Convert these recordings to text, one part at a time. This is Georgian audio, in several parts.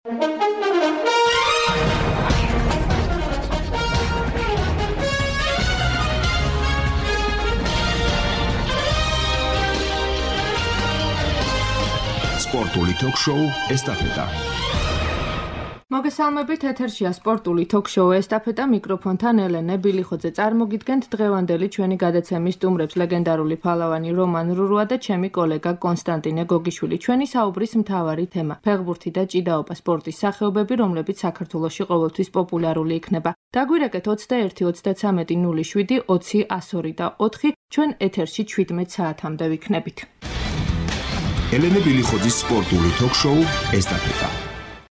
სპორტული ток-შოუ ესტაფეტა. მოგესალმებით, ეთერშია სპორტული ток-შოუ ესტაფეტა, მიკროფონთან ელენე ბილიხოძე. წარმოგიდგენთ დღევანდელი ჩვენი გადაცემის სტუმრებს ლეგენდარული ფალავანი რომან რურუა და ჩემი კოლეგა კონსტანტინე გოგიშვილი. ჩვენი საუბრის მთავარი თემა: ფეხბურთი და ჭიდაობა სპორტის სახეობები, რომლებიც საქართველოში ყოველთვის პოპულარული იქნება. დაგვირეკეთ 21 33 07 20 102 და 4. ჩვენ ეთერში 17 საათამდე ვიქნებით. ელენე ბილიხოძის სპორტული ток-შოუ ესტაფეტა.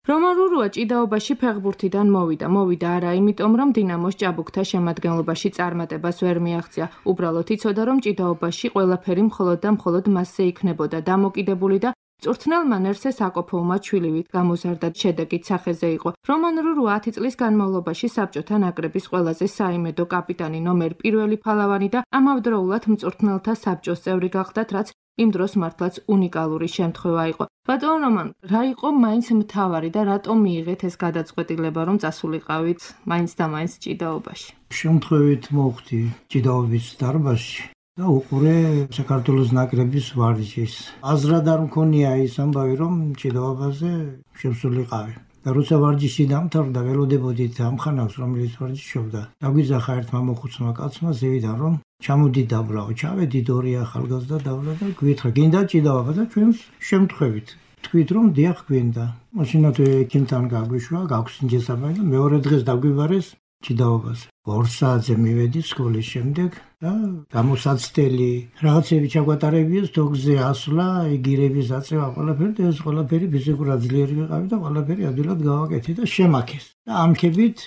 რომან რურუა ჭიდაობაში ფეხბურთიდან მოვიდა არა იმიტომ, რომ დინამოს ჭაბუკთა შემადგენლობაში წარმატებას ვერ მიაღწია. უბრალოდ იცოდა, რომ ჭიდაობაში ყველაფერი მხოლოდ და მხოლოდ მასზე იქნებოდა დამოკიდებული და წვრთნელ მანერსზე საკოფოუმად შვილივით გამოზარდა. შედეგით სახეზე იყო. რომან რურუა 10 წლის განმავლობაში საბჭოთა ნაკრების ყველაზე საიმედო კაპიტანი, ნომერ 1 ფალავანი და ამავდროულად მწვრთნელთა საბჭოს წევრი გახდათ, რაც იმ დროს მართლაც უნიკალური შემთხვევა იყო. ბატონო რომან, რა იყო მაინც მთავარი და რატომ მიიღეთ ეს გადაწყვეტილება, რომ წასულიყავით მაინც და მაინც ჭიდაობაში? შემთხვევით მოვხდი ჭიდაობის დარბაზში და უყურე საქართველოს ნაკრების ვარჯიშს. აზრად არ მქონია ის ამბავი, რომ ჭიდაობაზე შევსულიყავი. და როცა ვარჯიში დამთავრდა, ველოდებოდით ამ ხანავს, რომელიც ვარჯიშობდა. დაგვიძახა ერთმა მოხუცმა კაცმა ზევიდან, რომ ჩამოდი დაბლავ, ჩავედით ორი ახალგაზრდა დაბლა და გვითხრა, გინდა ჭიდაობა და ჩვენს შემთხვევით. თქვით, რომ დიახ გვინდა. მაშინაც ექიმთან გაგვიშვა, გაქვს ინჯესაბანი და მეორე დღეს დაგვიბარეს ჭიდაობაზე. 2 საათზე მივედი სკოლის შემდეგ და გამოსაცდელი რაღაცები ჩაგვატარებია, თოგზე ასვლა, იგირების აწევა, ყველაფერი და ეს ყველაფერი ფიზიკურად ძლიერი ვიყავი და ყველაფერი ადვილად გავაკეთე და შემაქეს. და ამქებით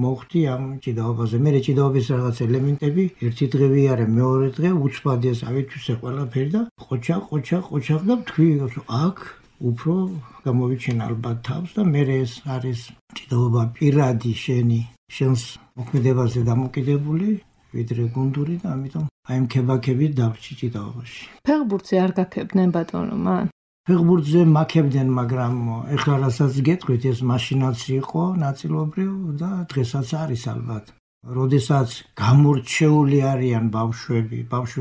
მოხდი ამ ჭიდაობაზე. მე ჭიდაობის რაღაც ელემენტები ერთი დღე ვიარე, მეორე დღე უცბადეს ავითვისე ყველაფერი და ყოჩაღ და თქვი, აქ უფრო გამოვიჩენ ალბათ თავს და მე ეს არის ჭიდაობა პირადი შენს მოქმედებაზე დამოკიდებული, ვიდრე გუნდური და ამიტომ აი ამ ქებაქებით დავრჩი ჭიდაობაში. ფეხბურთზე არ გაქებდნენ ბატონო რომან? ფეხბურთზე მაქებდნენ, მაგრამ ეხლა რასაც გეტყვით, ეს მაშინაც იყო ნაწილობრივ და დღესაც არის ალბათ. როდესაც გამორჩეული არიან ბავშვები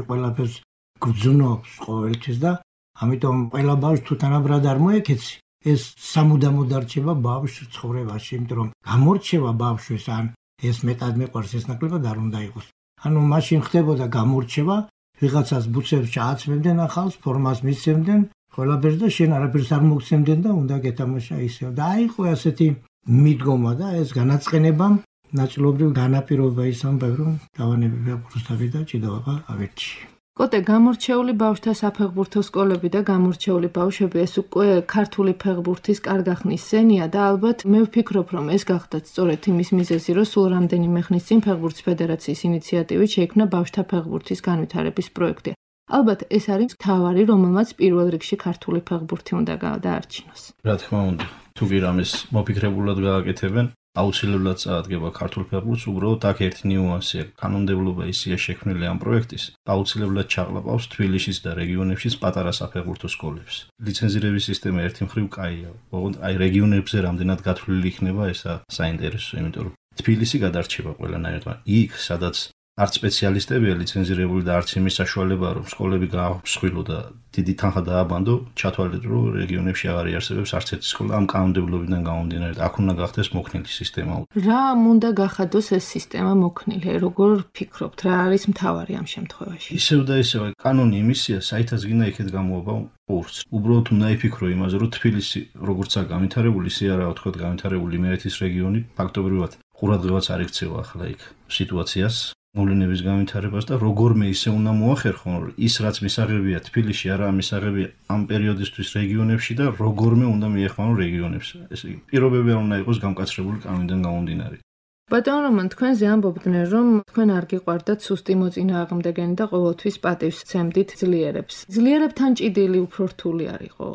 ყველაფერს გძნობს ყოველთვის და ამიტომ ყველა ბავშვს თუ თანაბრად არ მოეკეცი, ეს სამუდამოდ არჩება ბავშვს ცხოვრებაში, იმიტომ რომ გამორჩევა ბავშვის ან ეს მეტად მეყვარს ეს ნაკლებად არ უნდა იყოს. ანუ მაშინ ხდებოდა გამორჩევა, ვიღაცას ბუცებს ჩააცმევდნენ ახალს, ფორმას მისცემდნენ, ყველაფერს და შენ არაფერს არ მოგცემდნენ და უნდა გეთამაშა ისევ. და აიყო ასეთი მიდგომა და ეს განაწყენებამ ნაწილობრივ განაპირობა ის ამბავი, რომ დავანები ფეხბურთსავი და ჭიდაობა ავირჩი. კოტე, გამორჩეული ბავშვთა საფეხბურთო სკოლები და გამორჩეული ბავშვები, ეს უკვე ქართული ფეხბურთის კარგახნის სენია და ალბათ მე ვფიქრობ, რომ ეს გახდათ სწორედ იმის მიზეზი, რომ სულ რამდენიმე ხნის წინ ფეხბურთის ფედერაციის ინიციატივით შეიქმნა ბავშვთა ფეხბურთის განვითარების პროექტი. ალბათ ეს არის მთავარი, რომელმაც პირველ რიგში ქართული ფეხბურთი უნდა დაარჩინოს. რა თქმა უნდა, თუ კი რამეს მოფიქრებულად გააკეთებენ, აუცილებლად წაადგება ქართულ ფეხბურთს. უბრალოდ აქ ერთი ნიუანსია, კანონმდებლობა ისეა შექმნილი ამ პროექტის, აუცილებლად ჩაღლაპავს თბილისის და რეგიონებშიც პატარა საფეხბურთო სკოლებს. ლიცენზირების სისტემა ერთი მხრივ კაია, ოღონდ აი რეგიონებზე რამდენად გათვლილი იქნება ესა საინტერესო, იმიტომ რომ თბილისი გადარჩება ყველანაირად, იქ სადაც არც სპეციალისტებია ლიცენზირებული და არც იმის საშუალებაა, რომ სკოლები გაამსხვილო და დიდი თანხა დააბანდო, ჩათვალეთ, რომ რეგიონებში აღარ იარსებებს არც ერთი სკოლა ამ კანონმდებლობიდან გამომდინარე. აქ უნდა გახდეს მოქნილი სისტემა. რა უნდა გახადოს ეს სისტემა მოქნილი? როგორ ფიქრობთ, რა არის მთავარი ამ შემთხვევაში? ისევ და ისევ კანონი იმისია, საითაც გინდა იქეთ გამოვა პურს. უბრალოდ უნდა იფიქრო იმაზე, რომ თბილისი როგორცაა განვითარებული, ისე არაა თქვა განვითარებული იმერეთის რეგიონი, ფაქტობრივად ყურადღებაც არ იქცევა ახლა იქ სიტუაციას. მოვლენების განვითარებას და როგორმე ისე უნდა მოახერხონ, რომ ის რაც მისაღებია თბილისში, არა მისაღებია ამ პერიოდისთვის რეგიონებში და როგორმე უნდა მიეხმარონ რეგიონებს. ეს პირობები არ უნდა იყოს გამკაცრებული კანონიდან გამომდინარე. ბატონო რომან, თქვენზე ამბობდნენ, რომ თქვენ არ გიყვარდათ სუსტი მოწინააღმდეგენი და ყოველთვის პატივს სცემდით ძლიერებს. ძლიერებთან ჭიდილი უფრო რთული არ იყო?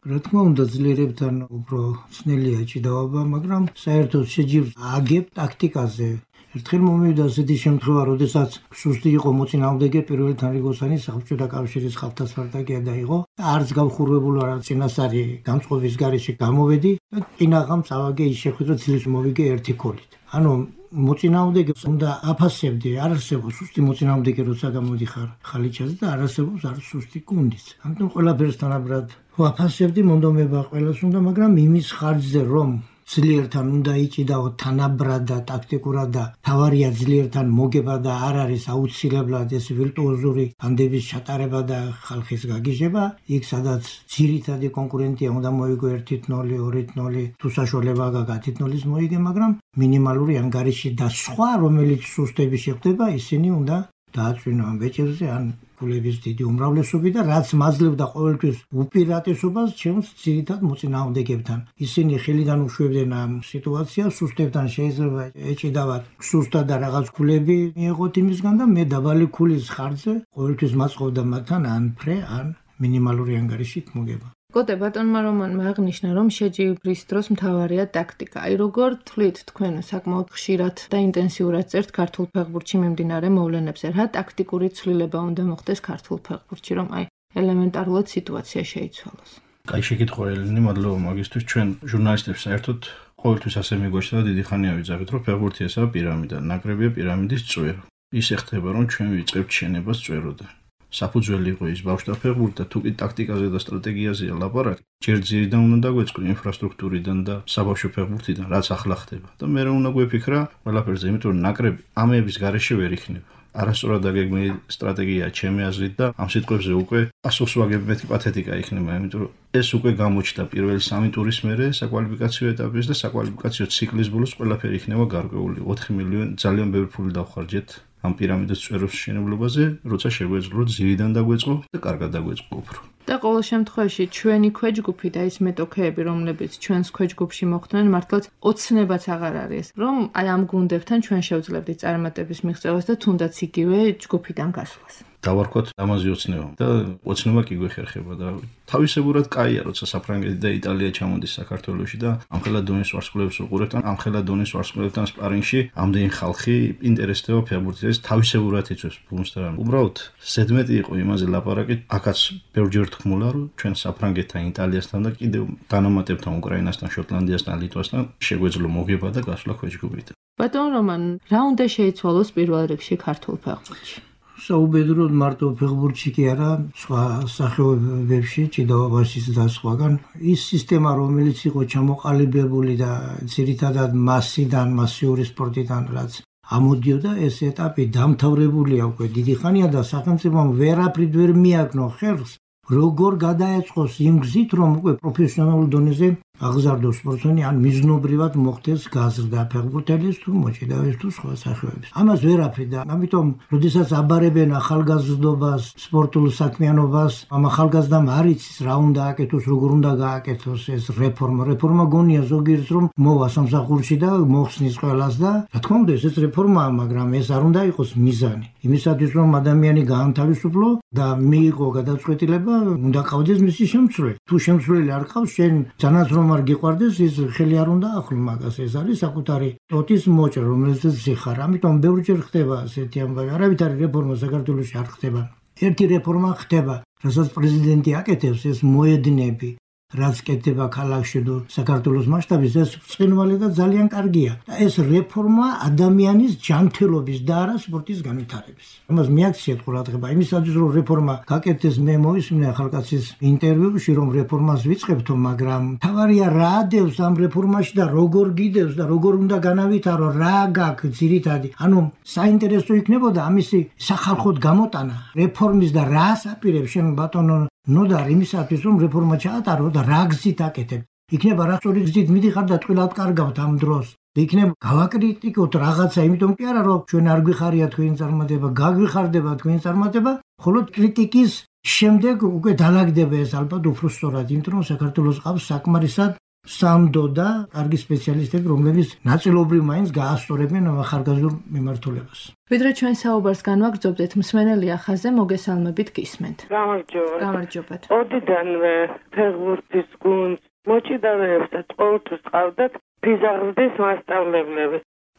რა თქმა უნდა, ძლიერებთან უფრო ძნელია ჭიდაობა, მაგრამ საერთოდ შეჯიბრ აგებ ტაქტიკაზე. ერთხელ მომივიდა ასეთი შემთხვევა, როდესაც სუსტი იყო მოწინააღმდეგე პირველი თანრიგოსანი საბჭოთა კავშირის ხალხთა სპარტაკია დაიღო და არც გავხურვებული არა წინასწარი განწყობის გარეშე გამოვედი და წინაღამ წავაგე ის შეხვედრა ცილის მოვიგე ერთი ქოლით. ანუ მოწინააღმდეგეს უნდა აფასებდი, არ არსებობს სუსტი მოწინააღმდეგე, როცა გამოდიხარ ხალიჩაზე და არ არსებობს არ სუსტი გუნდიც. ამიტომ ყველაფერს თანაბრად ვაფასებდი, მონდომება ყველას უნდა, მაგრამ იმის ხარჯზე რომ ძლიერთან უნდა იჭიდაო თანაბრად და ტაქტიკურად და თავარია ძლიერთან მოგება და არ არის აუცილებლად ეს ვირტუოზური განდების ჩატარება და ხალხის გაგიჟება, იქ სადაც ძირითადი კონკურენტია უნდა მოიგო 1-0, 2-0, თუ საშუალება გაქვს 10-0-ის მოიგე, მაგრამ მინიმალური ანგარიში და სხვა რომელიც სუსტები შეხვდება, ისინი უნდა დააწვინო ამ ბეჭედზე ან გულების დიდი უმრავლესობი და რაც მაძლევდა ყოველთვის უპირატესობას ჩემს ძირითად მოწინააღმდეგებთან. ისინი ხელიდან უშვებდნენ ამ სიტუაციას, სუსტებთან შეიძლება ეჭიდავათ სუსტად და რაღაც ქულები მიეღოთ იმისგან და მე დაბალი ქულის ხარჯზე ყოველთვის მაწყობდა მათთან ან ფრე, ან მინიმალური ანგარიშით მოგება. კოტე ბატონმა რომანმა აღნიშნა, რომ შეჯიბრის დროს მთავარია ტაქტიკა. აი როგორ თვლით თქვენ საკმაოდ ხშირად და ინტენსიურად წერთ ქართულ ფეხბურთში მიმდინარე მოვლენებზე, რა ტაქტიკური ცვლილება უნდა მოხდეს ქართულ ფეხბურთში, რომ აი ელემენტარულად სიტუაცია შეიცვალოს? კაი შეკითხვა ელენე, მადლობა მაგისთვის. ჩვენ ჟურნალისტებს საერთოდ ყოველთვის ასე მიგვაჩნდა და დიდი ხანია ვიძახით, რომ ფეხბურთი ესაა პირამიდა, ნაკრებია პირამიდის წვერო. ისე ხდება, რომ ჩვენ ვიწყებთ შენებას წვეროდან. საფუძველი იყო ის ბავშვთა ფეხბურთი და თუ კი ტაქტიკაზე და სტრატეგიაზეა ლაპარაკი, ჯერ ძირიდან უნდა დაგვეწყო ინფრასტრუქტურიდან და საბავშვო ფეხბურთიდან, რაც ახლა ხდება. და მე უნდა გვეფიქრა ყველაფერზე, იმიტომ რომ ნაკრები ამების გარეშე ვერ იქნება. არასწორად დაგეგმილი სტრატეგიაა ჩემი აზრით და ამ სიტყვებზე უკვე პასუხს ვაგებ მეთქი პათეტიკა იქნება, იმიტომ რომ ეს უკვე გამოჩნდა პირველი 3 ტურის მერე საკვალიფიკაციო ეტაპის და საკვალიფიკაციო ციკლის ბოლოს ყველაფერი იქნება გარკვეული. 4 მილიონი ძალიან ბევრი ფული დავხარჯეთ ამ პირამიდის წვეროს მშენებლობაზე, როცა შეგვეძლო ძირიდან დაგვეწყო და კარგად დაგვეწყო უფრო. და ყოველ შემთხვევაში ჩვენი ქვეჯგუფი და ის მეტოქეები, რომლებიც ჩვენს ქვეჯგუფში მოხვდნენ, მართლაც ოცნებაც აღარ არის, რომ აი ამ გუნდებთან ჩვენ შევძლებდით წარმატების მიღწევას და თუნდაც იგივე ჯგუფიდან გასვლას. დავარქვათ ამაზე ოცნება და ოცნება კი გვეხერხება და თავისებურად კაია, როცა საფრანგეთი და იტალია ჩამოდის საქართველოში და ამხელა დონის ვარსკვლავებს უყურებთ, ამხელა დონის ვარსკვლავებთან სპარინგში ამდენი ხალხი ინტერესდება ფეხბურთით, ეს თავისებურად იწვევს ბუნს და უბრალოდ ზედმეტი იყო იმაზე ლაპარაკი, აქაც ბევრჯერ თქმულა, რომ ჩვენ საფრანგეთთან, იტალიასთან და კიდევ დანამატებთან უკრაინასთან, შოტლანდიასთან, ლიტვასთან შეგვეძლო მოგება და გასვლა ქვეჯგუფით. ბატონ რომან, რა უნდა შეიცვალოს პირველ რიგში ქართულ ფეხბურთში? საუბედუროდ მარტო ფეხბურთში კი არა, სხვა სახეობებში, ჭიდაობაშიც და სხვაგან, ის სისტემა, რომელიც იყო ჩამოყალიბებული და ძირითადად მასიური სპორტიდან რაც ამოდიოდა, ეს ეტაპი დამთავრებულია უკვე დიდი ხანია და სახელმწიფომ ვერაფრით ვერ მიაგნო ხერხს, როგორ გადაეწყოს იმ გზით, რომ უკვე პროფესიონალურ დონეზე აღზარდოს სპორტსმენი, ან მიზნობრივად მოხდეს გაზრდა ფეხბურთელის თუ მოჭიდავის თუ სხვა სახეობების. ამას ვერაფრით და ამიტომ, როდესაც აბარებენ ახალგაზრდობას, სპორტულ საქმიანობას, ამ ახალგაზრდამ არ იცის რა უნდა აკეთოს, როგორ უნდა გააკეთოს ეს რეფორმა. რეფორმა გონია ზოგიერთ რომ მოვა სამსახურში და მოხსნის ყველას და რა თქმა უნდა, ეს რეფორმაა, მაგრამ ეს არ უნდა იყოს მიზანი. იმისათვის რომ ადამიანი გაანთავისუფლო და მიიღო გადაწყვეტილება, უნდა ყავდეს მისი შემცვლელი. თუ შემცვლელი არ ყავს, შენ ძანაც რომ არ გიყვარდეს, ის ხელი არ უნდა ახლო მაგას. ეს არის საკუთარი ტოტის მოჭრა, რომელზეც ზიხარ. ამიტომ ბევრჯერ ხდება ასეთი ამბავი. არავითარი რეფორმა საქართველოში არ ხდება. ერთი რეფორმა ხდება, რასაც პრეზიდენტი აკეთებს, ეს მოედნები, რაც კეთდება ქალაქში და საქართველოს მასშტაბით, ეს ბრწყინვალე და ძალიან კარგია. და ეს რეფორმა ადამიანის ჯანმრთელობის და არა სპორტის განვითარების. ამას მიაქციეთ ყურადღება. იმისათვის რომ რეფორმა გაკეთდეს, მე მოვისმინე ახალკაცის ინტერვიუში, რომ რეფორმას ვიწყებთო, მაგრამ თავარია რა ადევს ამ რეფორმაში და როგორ გიდევს და როგორ უნდა განავითარო, რა გაქვს ძირითადი. ანუ საინტერესო იქნებოდა ამისი სახალხოდ გამოტანა რეფორმის და რას აპირებს შენ ბატონო ნოდარ იმისათვის რომ რეფორმა ჩაატარო და რა გზით აკეთებ. იქნება რა სწორი გზით მიდიხარ და ტყილად კარგავთ ამ დროს. იქნება გავაკრიტიკოთ რაღაცა, იმიტომ კი არა რომ ჩვენ არ გვიხარია თქვენი წარმატება, გაგვიხარდება თქვენი წარმატება, ხოლო კრიტიკის შემდეგ უკვე დალაგდება ეს ალბათ უფრო სწორად, იმიტომ რომ საქართველოს ყავს საკმარისად სამდო და კარგი სპეციალისტები, რომლებიც ნაწილობრივ მაინც გაასწორებენ ახალგაზრდულ მიმართულებას. ვიდრე ჩვენ საუბარს განვაგრძობდეთ, მსმენელი ახაზე მოგესალმებით გისმენთ. გამარჯობათ. ოდიდანვე ფეხბურთის გუნდს მოჭიდავეებსაც ყოველთვის ყავდათ ფიზაღრდის მასწავლებლები.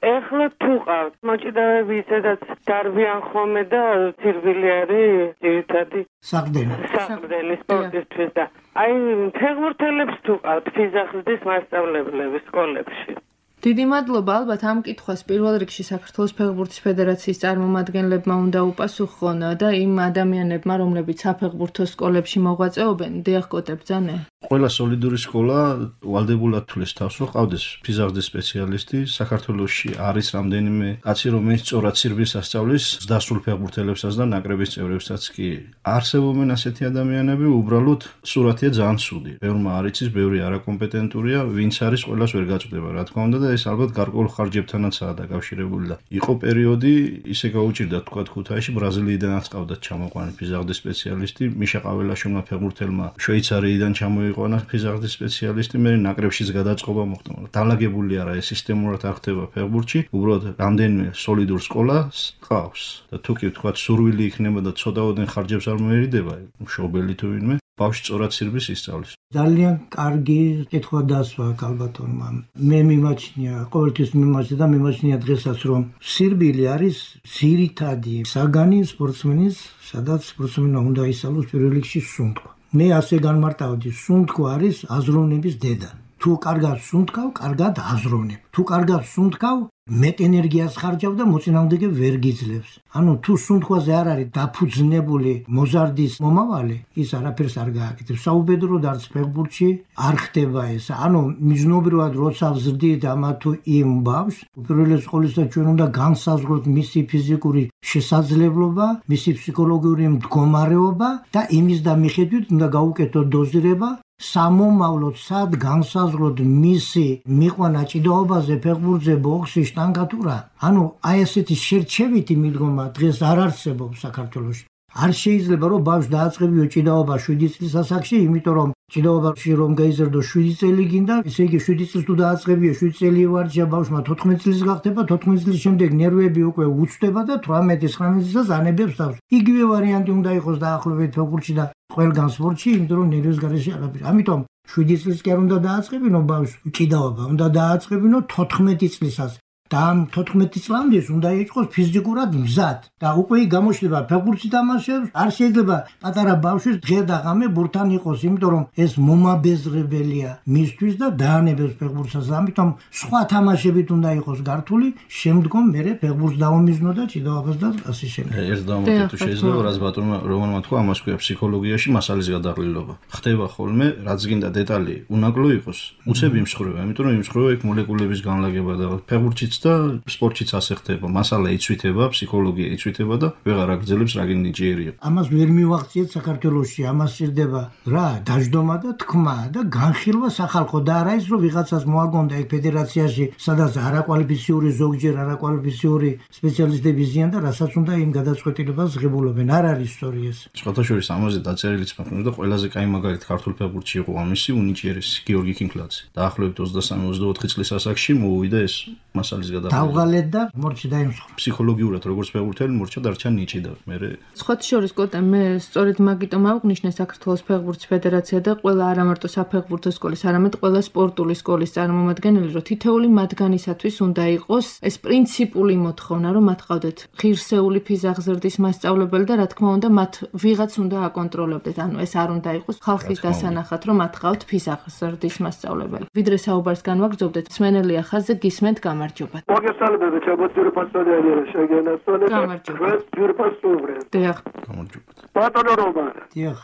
ეხლა თუ ყავთ მოჭიდავეები ისედაც დარბიან ხოლმე და ცირვილი არის ძირითადი საყრდენი სპორტისთვის და აი ფეხბურთელებს თუ ყავთ ფიზახსის მასწავლებლები სკოლებში. დიდი მადლობა, ალბათ ამ კითხვას პირველ რიგში საქართველოს ფეხბურთის ფედერაციის წარმომადგენლებმა უნდა უპასუხონ და იმ ადამიანებმა, რომლებიც საფეხბურთო სკოლებში მოღვაწეობენ, დიახ კოტებძანე. ყველა სოლიდური სკოლა ვალდებულად თulis თავს, რომ ყავდეს ფიზახსის სპეციალისტი. საქართველოში არის რამდენიმე კაცი, რომელიც სწორად ცირვის ასწავლის დასწრულ ფეხბურთელებსაც და ნაკრების წევრებსაც კი. არსებობენ ასეთი ადამიანები, უბრალოდ სურათია ძალიან ცუდი. ბევრმა არ იცის, ბევრი არაკომპეტენტურია, ვინც არის ყველას ვერ გაწვდება, რა თქმა უნდა. ეს ალბათ გარკვეულ ხარჯებთანაცაა დაკავშირებული და იყო პერიოდი ისე გაუჭირდა თქვა ქუთაისში ბრაზილიიდანაც ყავდათ ჩამოყვანილი ფიზახსის სპეციალისტი მიშა ყაველაშვილმა ფეხბურთელმა შვეიცარიიდან ჩამოიყვანა ფიზახსის სპეციალისტი მე ნაკრებშიც გადაწყობა მოხდა დალაგებული არა ეს სისტემურად არ ხდება ფეხბურთში უბრალოდ რამდენიმე სოლიდურ სკოლას ყავს და თუ კი თქვა სურვილი იქნება და ცოტაოდენ ხარჯებს არ მოერიდება მშობელი თუ ვინმე ბავშვი სწორად ცირვის ისწავლის. ძალიან კარგი კითხვა დასვა კალბატონმა. მე მიმაჩნია, ყოველთვის მიმაჩნია და მიმაჩნია დღესაც, რომ სირბილი არის ძირითადი საგანი სპორტსმენის, სადაც სპორტსმენმა უნდა ისწავლოს პირველ რიგში სუნთქვა. მე ასე განმარტავდი, სუნთქვა არის აზროვნების დედა. თუ კარგად სუნთქავ, კარგად აზროვნებ. თუ კარგად სუნთქავ, მეტ ენერგიას ხარჯავ და მოწინააღმდეგე ვერ გიძლევს. ანუ თუ სუნთქვაზე არ არის დაფუძნებული მოზარდის მომავალი, ის არაფერს არ გააკეთებს. საუბედროდ არც ფეხბურთში არ ხდება ეს. ანუ მიზნობრივად როცა ვზრდით ამა თუ იმ ბავშვს, უპირველეს ყოვლისა ჩვენ უნდა განსაზღვროთ მისი ფიზიკური შესაძლებლობა, მისი ფსიქოლოგიური მდგომარეობა და იმის და მიხედვით უნდა გაუკეთოთ დოზირება სამომავლოდ სად განსაზღვროთ მისი მიყვანა ჭიდაობაზე, ფეხბურთზე, ბოქსში, შტანგათურა. ანუ აი ესეთი შერჩევითი მიდგომა დღეს არ არსებობს საქართველოში. არ შეიძლება რომ ბავშვი დააწყებიო ჭიდაობა 7 წლის ასაკში, იმიტომ რომ ჭიდაობაში რომ გაიზარდო 7 წელი გინდა, ესე იგი 7 წლის თუ დააწყებიო 7 წელი ვარჯიშა ბავშვმა 14 წლის გახდება, 14 წლის შემდეგ ნერვები უკვე უცდება და 18-19 წელს ანებებს თავს. იგივე ვარიანტი უნდა იყოს დაახლოებით ფეხბურთში და ყველგან სპორტში, იმიტომ რომ ნერვების გარეშე არაფერი. ამიტომ 7 წლის კი არ უნდა დააწყებინო ბავშვს ჭიდაობა, უნდა დააწყებინო 14 წლისას. და ამ 14 წლამდე უნდა იყოს ფიზიკურად მზად და უკვე გამოჩნდება ფეხბურთი თამაშობს არ შეიძლება პატარა ბავშვის დღე და ღამე ბურთთან იყოს იმიტომ რომ ეს მომაბეზრებელია მისთვის და დაანებებს ფეხბურთსაც ამიტომ სხვა თამაშებით უნდა იყოს გართული შემდგომ მერე ფეხბურთს დაუმიზნო და ჭიდაობას და ასე შემდეგ ერთ დამოკიდო შეიძლება რაც ბატონმა რომანმა თქვა ამას ქვია ფსიქოლოგიაში მასალის გადაღლილობა ხდება ხოლმე რაც გინდა დეტალი უნაკლო იყოს უცებ იმსხვრევა იმიტომ რომ იმსხვრევა იქ მოლეკულების განლაგება და ფეხბურთიც და სპორტშიც ასე ხდება. მასალა იცვითება, ფსიქოლოგია იცვითება და ვეღარ აგრძელებს რა გინდა ჯერია. ამას ვერ მივახციეთ საქართველოში, ამას სჭირდება რა, დაждომა და თქმა და განხილვა სახალხო და არა ის რომ ვიღაცას მოაგონდა ეგ ფედერაციაში, სადაც არაკვალიფიციური ზოგჯერ არაკვალიფიციური სპეციალისტები ზიან და რასაც უნდა იმ გადაწყვეტილებას ღებულობენ. არ არის ისტორია ეს. შეხოთაშორის ამაზე დაწერილიც მაქვს და ყველაზე კაი მაგალითი ქართულ ფეხბურთში იყო ამისი უნიჭიერესი გიორგი კინკლაძე. დაახლოებით 23-24 წლის ასაკში მოუვიდა ეს მასალის დავღალეთ და მორჩი დაიმსხვრა. ფსიქოლოგიურად როგორც ფეხბურთელი მორჩა დარჩა ნიჭი და მე სხვათა შორის კოტე მე სწორედ მაგიტომ ავღნიშნე საქართველოს ფეხბურთის ფედერაცია და ყველა არა მარტო საფეხბურთო სკოლის, არამედ ყველა სპორტული სკოლის წარმომადგენელი, რომ თითოეული მათგანისათვის უნდა იყოს ეს პრინციპული მოთხოვნა, რომ მათ ყავდეთ ღირსეული ფიზახსრდის მასწავლებელი და რა თქმა უნდა მათ ვიღაც უნდა აკონტროლებდეთ. ანუ ეს არ უნდა იყოს ხალხის დასანახად, რომ მათ ყავთ ფიზახსრდის მასწავლებელი. ვიდრე საუბარს განვაგრძობდეთ, სმენელია ხაზზე გისმენთ გამარჯობა. მოგესალმებით, ჩემოწირი პასტორია შეგენაცვალე. გამარჯობა. ჯურპასტურე. დიახ. გამარჯობა. ბატონო რომან. დიახ.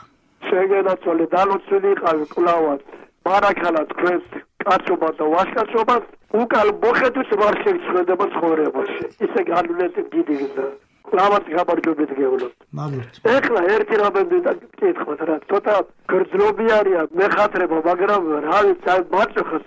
შეგენაცვალე, დალოცილი იყავი კლავად. მარაქალა თქვენს კაცობა და ვაჟკაცობა უკან მოხედვის ვარ შეგწყვეტება ცხოვრებაში. ისე განვლეთი დიდიგდა. კლავად გამარჯობეთ გეუბნებთ. მაგით. ეხლა ერთი რამე და კითხოთ რა, ცოტა გრძნობიარია მეხათრება, მაგრამ რა ვიცი, აი მარჯოხას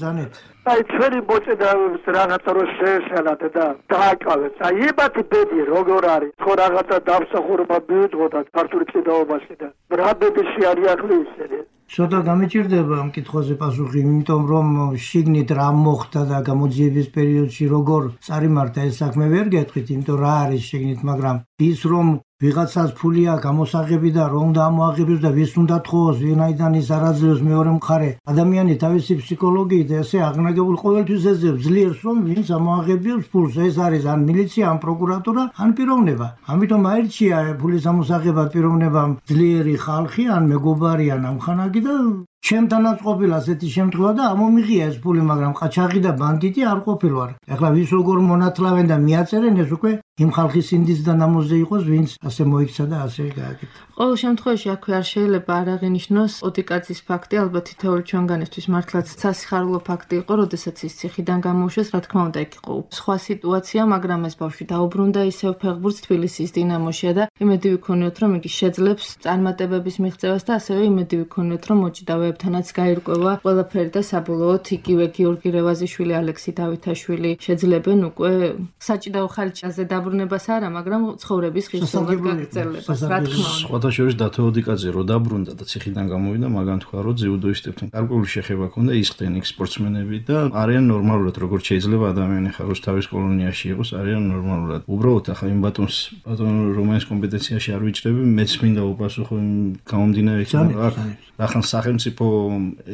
ზანეთ. აი ჩვენი მოწინააღმდეგეებს რაღაცა რო შეეშალათ და დააკავეს. აი ებათი ბედი როგორ არის? ხო რაღაცა დამსახურება მიუძღოთ ქართული ჭიდაობაში და რა ბედში არის ახლა ისინი? ცოტა გამიჭირდება ამ კითხვაზე პასუხი, იმიტომ რომ შიგნით რა მოხდა და გამოძიების პერიოდში როგორ წარიმართა ეს საქმე ვერ გეტყვით, იმიტომ რა არის შიგნით, მაგრამ ის რომ ვიღაცას ფული აქვს გამოსაღები და რომ უნდა ამოაღებოს და ვის უნდა თხოვოს, ვინაიდან ის არაძლევს მეორე მხარე. ადამიანი თავისი ფსიქოლოგიით და ესე აღნაგებულ ყოველთვის ეძებს ძლიერს, რომ ვინც ამოაღებებს ფულს, ეს არის ან მილიცია, ან პროკურატურა, ან პიროვნება. ამიტომ აირჩია ფულის ამოსაღებად პიროვნებამ ძლიერი ხალხი, ან მეგობარი, ან ამხანაგი და ჩემთანაც ყოფილა ასეთი შემთხვევა და ამომიღია ეს ფული, მაგრამ ყაჩაღი და ბანდიტი არ ყოფილვარ. ეხლა ვის როგორ მონათლავენ და მიაწერენ, ეს უკვე იმ ხალხის ინდის და ნამოზზე იყოს, ვინც ასე მოიქცა და ასე გააკეთა. ყოველ შემთხვევაში აქვე არ შეიძლება არ აღინიშნოს ოდიკაძის ფაქტი, ალბათ თითოეული ჩვენგანისთვის მართლაც სასიხარულო ფაქტი იყო, როდესაც ის ციხიდან გამოუშვეს, რა თქმა უნდა, იქ იყო სხვა სიტუაცია, მაგრამ ეს ბავშვი დაუბრუნდა ისევ ფეხბურთს თბილისის დინამოში და იმედი ვიქონიოთ, რომ იგი შეძლებს წარმატებების მიღწევას და ასევე იმედი ვიქონიოთ, რომ მოჭიდავეებთანაც გაირკვევა ყველაფერი და საბოლოოდ იგივე გიორგი რევაზიშვილი, ალექსი დავითაშვილი შეძლებენ უკვე საჭიდაო ხალხაზე დაბრუნებას არა, მაგრამ ცხოვრების ხილსოვან გაგრძელებას, რა თქმა უნდა. სხვათა შორის დათო ოდიკაძე რო დაბრუნდა და ციხიდან გამოვიდა, მაგან თქვა, რომ ძიუდოისტებთან გარკვეული შეხება ჰქონდა, ისხდნენ იქ სპორტსმენები და არიან ნორმალურად, როგორც შეიძლება ადამიანი ხაროს თავის კოლონიაში იყოს, არიან ნორმალურად. უბრალოდ ახლა იმ ბატონ რომანის კომპეტენციაში არ ვიჭრები, მეც მინდა უპასუხო იმ გამომდინარე ახლა სახელმწიფო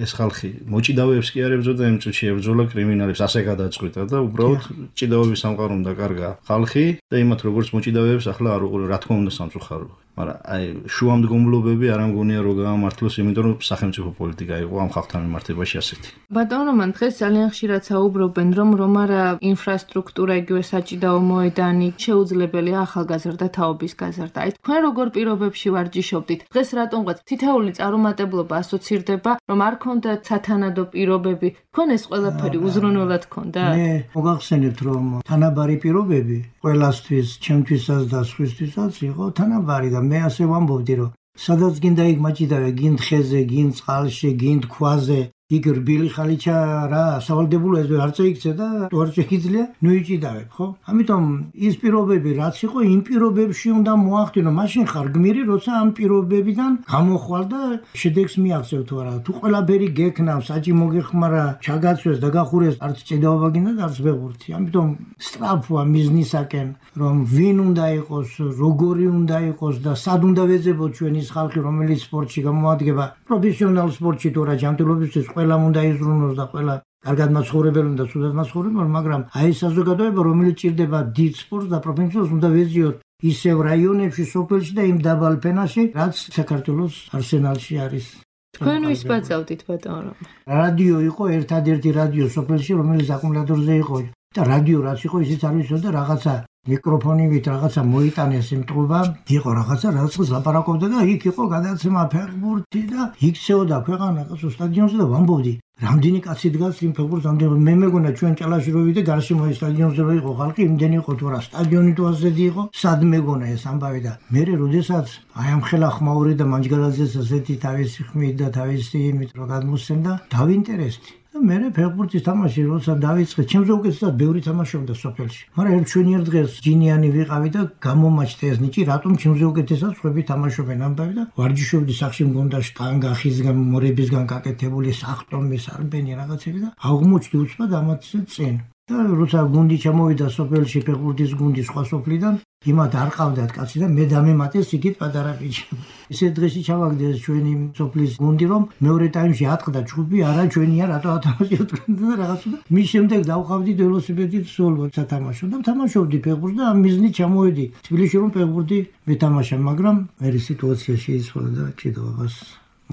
ეს ხალხი მოჭიდავეებს კი არ ებრძოდა, იმ წუთში ებრძოლა კრიმინალებს, ასე გადაწყვიტა და უბრალოდ ჭიდაობის სამყარომ დაკარგა ხალხი და იმათ როგორც მოჭიდავეებს ახლა არ უყურე, რა თქმა უნდა სამწუხარო. მაგრამ აი შუამდგომლობები არ ამგონია რომ გაამართლოს, იმიტომ რომ სახელმწიფო პოლიტიკა იყო ამ ხალხთან მიმართებაში ასეთი. ბატონ რომან, დღეს ძალიან ხშირად საუბრობენ, რომ არა ინფრასტრუქტურა, იგივე საჭიდაო მოედანი შეუძლებელია ახალგაზრდა თაობის გაზრდა. აი თქვენ როგორ პირობებში ვარჯიშობდით? დღეს რატომღაც თითოეული წარუმატებლობა ასოცირდება, რომ არ ქონდათ სათანადო პირობები, თქვენ ეს ყველაფერი უზრუნველად ქონდათ? მე მოგახსენებთ, რომ თანაბარი პირობები ყველასთვის, ჩემთვისაც და სხვისთვისაც იყო თანაბარი და მე ასე ვამბობდი, რომ სადაც გინდა იქ მაჭიდავე, გინდ ხეზე, გინდ წყალში, გინდ ქვაზე, იქ რბილი ხალიჩა რა სავალდებულო ეს არ წეიქცე და არ შეგიძლია ნუიჭიდავებ, ხო? ამიტომ ის პირობები რაც იყო, იმ პირობებში უნდა მოახდინო, მაშინ ხარ გმირი, როცა ამ პირობებიდან გამოხვალ და შედეგს მიაღწევ თუ არა. თუ ყველაფერი გექნავ, საჭი მოგეხმარა, ჩაგაცვეს და გახურეს, არც ჭიდაობა გინდა და არც ფეხბურთი. ამიტომ სწრაფვა მიზნისაკენ, რომ ვინ უნდა იყოს, როგორი უნდა იყოს და სად უნდა ვეძებოთ ჩვენ ის ხალხი, რომელიც სპორტში გამოადგება, პროფესიონალ სპორტში თუ არა ჯანმრთელობისთვის ყველამ უნდა იზრუნოს და ყველა კარგად მაცხოვრებელი და ცუდად მაცხოვრებელი, მაგრამ აი ეს საზოგადოება, რომელიც ჭირდება დიდ სპორტს და პროფესიონალს, უნდა ვეზიოთ ისევ რაიონებში, სოფელში და იმ დაბალ ფენაში, რაც საქართველოს არსენალში არის. თქვენ ვის ბაწავდით, ბატონ რომან? რადიო იყო ერთადერთი რადიო სოფელში, რომელიც აკუმულატორზე იყო და რადიო რაც იყო, ისიც არ ვიცოდა რაღაცა მიკროფონივით რაღაცა მოიტანეს იმ ტყუბა, იყო რაღაცა რაც ლაპარაკობდა და იქ იყო გადაცემა ფეხბურთი და იქცეოდა ქვეყანა კაცო სტადიონზე და ვამბობდი რამდენი კაცი დგას იმ ფეხბურთს, ამდენი მე მეგონა ჩვენ ჭალაში რო ვიდე გარშემო ის სტადიონზე რო იყო ხალხი, იმდენი იყო თუ რა სტადიონი თუ ასეთი იყო, სად მეგონა ეს ამბავი და მე როდესაც აი ამ ხელა ხმაური და მანჯგალაძეს ასეთი თავისი ხმით და თავისი იმით რო გადმოსცემდა, დავინტერესდი. მე ფეხბურთის თამაში როცა დავიწყე, ჩემზე უკეთესად ბევრი თამაშობდა სოფელში. მაგრამ ერთ ჩვენიერ დღეს ჯინიანი ვიყავი და გამომაჩნდა ეს ნიჭი, რატომ ჩემზე უკეთესად სხვები თამაშობენ ამბავი და ვარჯიშობდი სახში მგონდა შტანგა ხისგან, მორებისგან გაკეთებული სახტომის არბენი რაღაცები და აღმოჩნდი უცბად ამათზე წინ. და როცა გუნდი ჩამოვიდა სოფელში ფეხბურთის გუნდი სხვა სოფლიდან, იმათ არ ყავდათ კაცი და მე დამემატეს იქით პატარა ბიჭი. ესე დღეში ჩავაგდეს ჩვენი სოფლის გუნდი, რომ მეორე ტაიმში ატყდა ჯგუფი, არა ჩვენია, რატო ათამაშებთ და რაღაცა და მის შემდეგ დავყავდი ველოსიპედით სულ სათამაშო და თამაშობდი ფეხბურთს და ამ მიზნით ჩამოვედი თბილისში, რომ ფეხბურთი მეთამაშა, მაგრამ მე სიტუაცია შეიცვალა და ჭიდაობას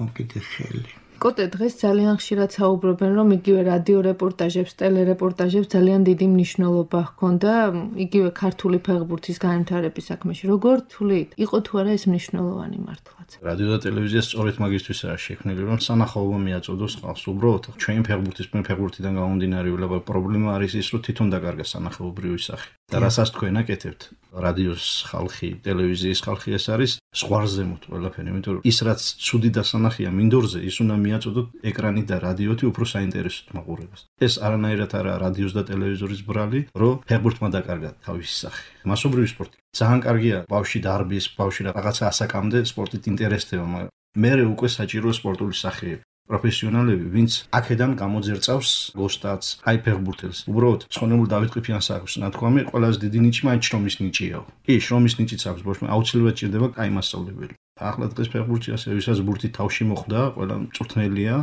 მოკიდე ხელი. კოტე, დღეს ძალიან ხშირად საუბრობენ, რომ იგივე რადიო რეპორტაჟებს, ტელერეპორტაჟებს ძალიან დიდი მნიშვნელობა ჰქონდა იგივე ქართული ფეხბურთის განვითარების საქმეში. როგორ თვლით, იყო თუ არა ეს მნიშვნელოვანი მართლაც? რადიო და ტელევიზია სწორედ მაგისთვისაა შექმნილი, რომ სანახაობა მიაწოდოს ხალხს. უბრალოდ ჩვენი ფეხბურთიდან გამომდინარეულად პრობლემა არის ის, რომ თვითონ დაკარგა სანახაობრივი სახე. და რასაც თქვენ აკეთებთ, რადიოს ხალხი, ტელევიზიის ხალხი, ეს არის ზღვარზემოთ ყველაფერი, იმიტომ რომ ის რაც ცუდი დასანახია მინდორზე, ის უნდა მიაწოდოთ ეკრანი და რადიოთი უფრო საინტერესოდ მაყურებელს. ეს არანაირად არა რადიოს და ტელევიზორის ბრალი, რომ ფეხბურთმა დაკარგა თავისი სახე. მასობრივი სპორტი ძალიან კარგია, ბავშვი დარბის, ბავშვი რაღაცა ასაკამდე სპორტით ინტერესდება, მაგრამ მერე უკვე საჭირო სპორტული სახეები. პროფესიონალები, ვინც აქედან გამოძერწავს გოსტაც, აი ფეხბურთელს. უბრალოდ ცხონებულ დავით ყიფიანს აქვს ნათქვამი, ყველაზე დიდი ნიჭი მაინც შრომის ნიჭიაო. კი, შრომის ნიჭიც აქვს ბავშვმა, აუცილებლად ჭირდება კაი მასწავლებელი. ახლა დღეს ფეხბურთი ასე ვისაც ბურთი თავში მოხვდა, ყველა მწვრთნელია.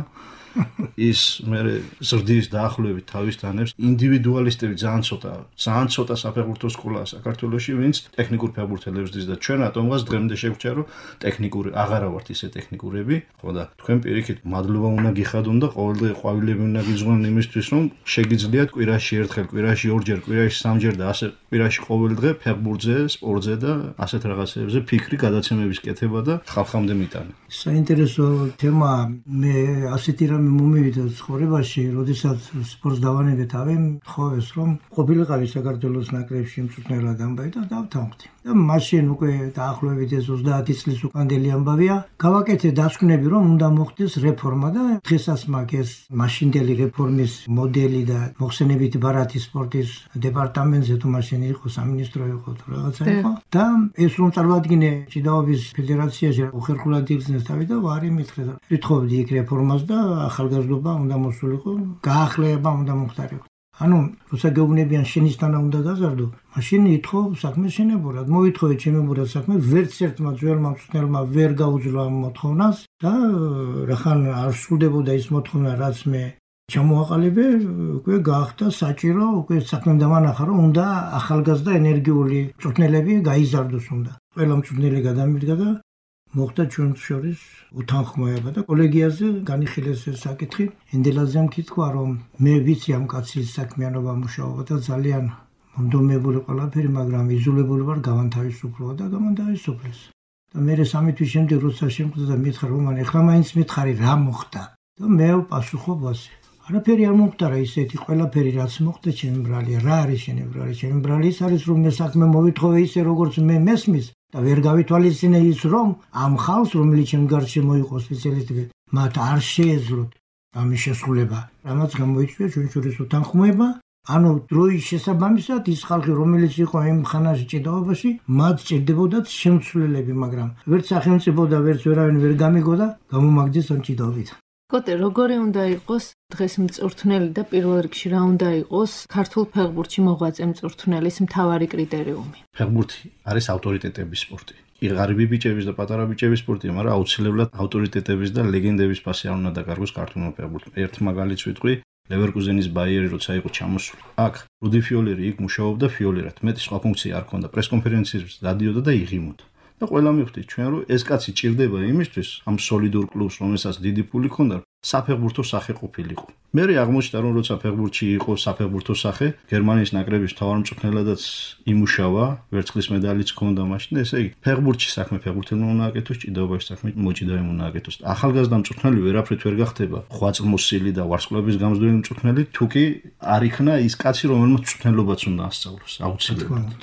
ის მე ზრდის დაახლოებით თავის თანებს ინდივიდუალისტები ძალიან ცოტა საფეხბურთო სკოლაა საქართველოში, ვინც ტექნიკურ ფეხბურთელებს ზრდის და ჩვენ რატომღაც დღემდე შეგვჭირა რომ ტექნიკური აღარა ვართ ისე ტექნიკურები, ხო და თქვენ პირიქით მადლობა უნდა გიხადონ და ყოველდღე ყვავილები უნდა გიძღვან იმისთვის რომ შეგიძლიათ კვირაში ერთხელ, კვირაში ორჯერ, კვირაში სამჯერ და ასე კვირაში ყოველდღე ფეხბურთზე, სპორტზე და ასეთ რაღაცებზე ფიქრი გადაცემების კეთება და ხალხამდე მიტანა. საინტერესო თემა მე ასეთი მომივიდა ცხოვრებაში, როდესაც სპორტს დავანებეთ ავემ, თხოვეს რომ ყოფილიყავი საქართველოს ნაკრებში მწვრთნელად ამბავი და დავთანხმდი. და მაშინ უკვე დაახლოებით ეს 30 წლის უკანდელი ამბავია. გავაკეთე დასკვნები რომ უნდა მოხდეს რეფორმა და დღესაც მაქვს ეს მაშინდელი რეფორმის მოდელი და მოხსენებითი ბარათი სპორტის დეპარტამენტზე თუ მაშინ იყო სამინისტრო იყო თუ რაღაცა იყო და ეს რომ წარმოადგინე ჭიდაობის ფედერაციაში უხერხულად იგრძნეს თავი და ვარი მითხრე და ვითხოვდი იქ რეფორმას და ახალგაზრდობა უნდა მოსულიყო, გაახლეება უნდა მოხდარიყო. ანუ როცა გეუბნებიან შენისთანა უნდა გაზარდო, მაშინ ითხოვ საქმე შენებურად. მოითხოვე ჩემებურად საქმე, ვერც ერთმა ძველმა მწვრთნელმა ვერ გაუძლო ამ მოთხოვნას და რახან არ სრულდებოდა ის მოთხოვნა, რაც მე ჩამოაყალიბე, უკვე გაახდა საჭირო, უკვე საქმე დამანახა, რომ უნდა ახალგაზრდა ენერგიული მწვრთნელები გაიზარდოს უნდა. ყველა მწვრთნელი გადამიდგა და მოხდა ჩვენს შორის უთანხმოება და კოლეგიაზე განიხილეს ეს საკითხი. ენდელაძემ კითხვა, რომ მე ვიცი ამ კაცის საქმიანობა მუშაობა და ძალიან მომდომებული ყველაფერი, მაგრამ იზოლებული ვარ გავანთავისუფლო და გამანთავისუფლეს. და მე 3 თვის შემდეგ როცა შემხვდა და მითხრა, რომ ახლა მაინც მითხარი რა მოხდა და მე პასუხობ ასე. არაფერი არ მომხდარა ისეთი, ყველაფერი რაც მოხდა ჩემი ბრალია. რა არის შენი ბრალი? ჩემი ბრალი ის არის, რომ მე საქმე მოვითხოვე ისე, როგორც მე მესმის და ვერ გავითვალისწინე ის, რომ ამ ხალხს, რომელიც ჩემ გარშე მოიყო სპეციალისტები, მათ არ შეეძლოთ ამის შესრულება. რამაც გამოიწვია ჩვენ შორის უთანხმოება. ანუ დროის შესაბამისად ის ხალხი, რომელიც იყო იმ ხანაში ჭიდაობაში, მათ ჭირდებოდათ შემცვლელები, მაგრამ ვერც სახელმწიფო და ვერც ვერავინ ვერ გამიგო და გამომაგდეს ამ ჭიდაობით. კოტე, როგორი უნდა იყოს დღეს მწვრთნელი და პირველ რიგში რა უნდა იყოს ქართულ ფეხბურთში მოღვაწე მწვრთნელის მთავარი კრიტერიუმი? ფეხბურთი არის ავტორიტეტების სპორტი. ღარიბი ბიჭების და პატარა ბიჭების სპორტია, მაგრამ აუცილებლად ავტორიტეტების და ლეგენდების ფასი არ უნდა დაკარგოს ქართულმა ფეხბურთმა. ერთ მაგალითს ვიტყვი, ლევერკუზენის ბაიერი როცა იყო ჩამოსული. აქ რუდი ფიოლერი იქ მუშაობდა ფიოლერად. მეტი სხვა ფუნქცია არ ჰქონდა. პრესკონფერენციებს დადიოდა და იღიმოდა. და ყველა მივხვდით ჩვენ რომ ეს კაცი ჭირდება იმისთვის ამ სოლიდურ კლუბს, რომელსაც დიდი ფული ჰქონდა, საფეხბურთო სახე ყოფილიყო. მე აღმოჩნდა რომ როცა ფეხბურთში იყო საფეხბურთო სახე, გერმანიის ნაკრების მთავარ მწვრთნელადაც იმუშავა, ვერცხლის მედალიც ჰქონდა მაშინ, ესე იგი, ფეხბურთში საქმე ფეხბურთელმა უნდა აკეთოს, ჭიდაობაში საქმე მოჭიდავემ უნდა აკეთოს. ახალგაზრდა მწვრთნელი ვერაფრით ვერ გახდება ხვაწლმოსილი და ვარსკვლავების გამზრდელი მწვრთნელი, თუკი არ იქნა ის კაცი, რომელმაც მწვრთნელობაც უნდა ასწავლოს, აუცილებლად.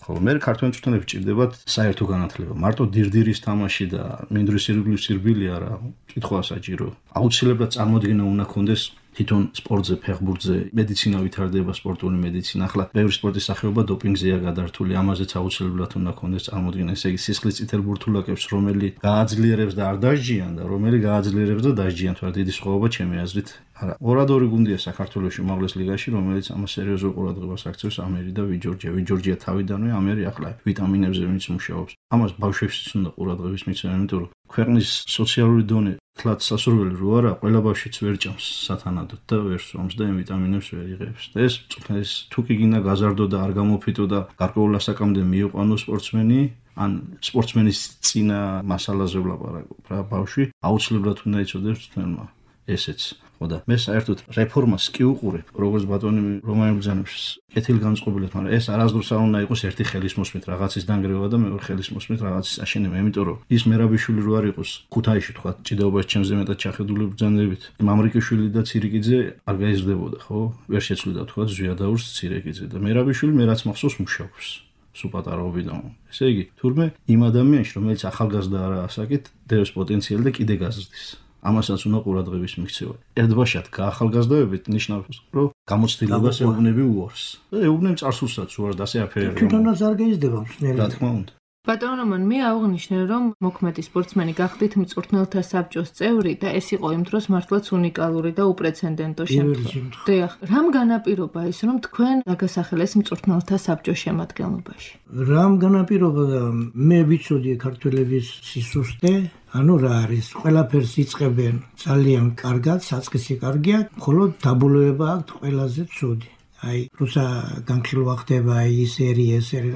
ხო, მე ქართველ მწვრთნელებს ჭირდებათ საერთო განათლება. მარტო დირდირის თამაში და მინდვრის ირგვლივ სირბილი არა, კითხვა საჭირო. აუცილებლად წარმოდგენა უნდა ქონდეს თვითონ სპორტზე, ფეხბურთზე, მედიცინა ვითარდება, სპორტული მედიცინა. ახლა ბევრი სპორტის სახეობა დოპინგზეა გადართული, ამაზეც აუცილებლად უნდა ქონდეს წარმოდგენა. ესე იგი, სისხლის წითელ ბურთულაკებს, რომელი გააძლიერებს და არ დასჯიან და რომელი გააძლიერებს და დასჯიან, თორე დიდი სხვაობა ჩემი აზრით. არა, ორადორი გუნდია საქართველოში უმაღლეს ლიგაში, რომელიც ამას სერიოზულ ყურადღებას აქცევს, ამერი და ვიჯორჯია. ვიჯორჯია თავიდანვე ამერი ახლა ვიტამინებზე ვინც მუშაობს. ამას ბავშვებშიც უნდა ყურადღების მიცემა, იმიტომ რომ ქვეყნის სოციალური დონე თლაც სასურველი რო არა, ყველა ბავშვიც ვერ ჭამს სათანადოდ და ვერ სვამს და იმ ვიტამინებს ვერ იღებს. და ეს მწვრთნელის თუკი გინდა გაზარდო და არ გამოფიტო და გარკვეულ ასაკამდე მიიყვანო სპორტსმენი, ან სპორტსმენის წინა მასალაზე ვლაპარაკობ რა, ბავშვი აუცილებლად უნდა იცოდეს მწვრთნელმა ესეც. ხო და მე საერთოდ რეფორმას კი უყურებ, როგორც ბატონი რომაელ ბრძანებს კეთილგანწყობილად, მაგრამ ეს არასდროს არ უნდა იყოს ერთი ხელის მოსმით რაღაცის დანგრევა და მეორე ხელის მოსმით რაღაცის აშენება, იმიტომ რომ ის მერაბიშვილი რო არ იყოს ქუთაისში თქვა ჭიდაობაში ჩემზე მეტად ჩახედული ბრძანებით, მამრიკიშვილი და ცირიკიძე არ გაიზრდებოდა, ხო? ვერ შეცვლიდა თქვა ზვიადაურს ცირიკიძე და მერაბიშვილი მე რაც მახსოვს მუშაობს. სულ პატარაობიდან. ესე იგი, თურმე იმ ადამიანში, რომელიც ახალგაზრდა არა ასაკით, დევს პოტენციალი და კიდე გაზრდის. ამასაც უნდა ყურადღების მიქცევა. ერთბაშად გაახალგაზრდებით ნიშნავს, რომ გამოცდილებას ეუბნები უარს. და ეუბნები წარსულსაც უარს და ასე აფერებს. თვითონაც არ გაიზრდება მსმენელი. რა თქმა უნდა. ბატონო რომან, მე აღვნიშნე, რომ მოქმედი სპორტსმენი გახდით მწვრთნელთა საბჭოს წევრი და ეს იყო იმ დროს მართლაც უნიკალური და უპრეცედენტო შემთხვევა. დიახ, რამ განაპირობა ის, რომ თქვენ დაგასახელეს მწვრთნელთა საბჭოს შემადგენლობაში? რამ განაპირობა და მე ვიცოდი ქართველების სისუსტე, ანუ რა არის, ყველაფერს იწყებენ ძალიან კარგად, საწყისი კარგია, მხოლოდ დაბოლოება აქვს ყველაზე ცუდი. აი, როცა განხილვა ხდება ის ერი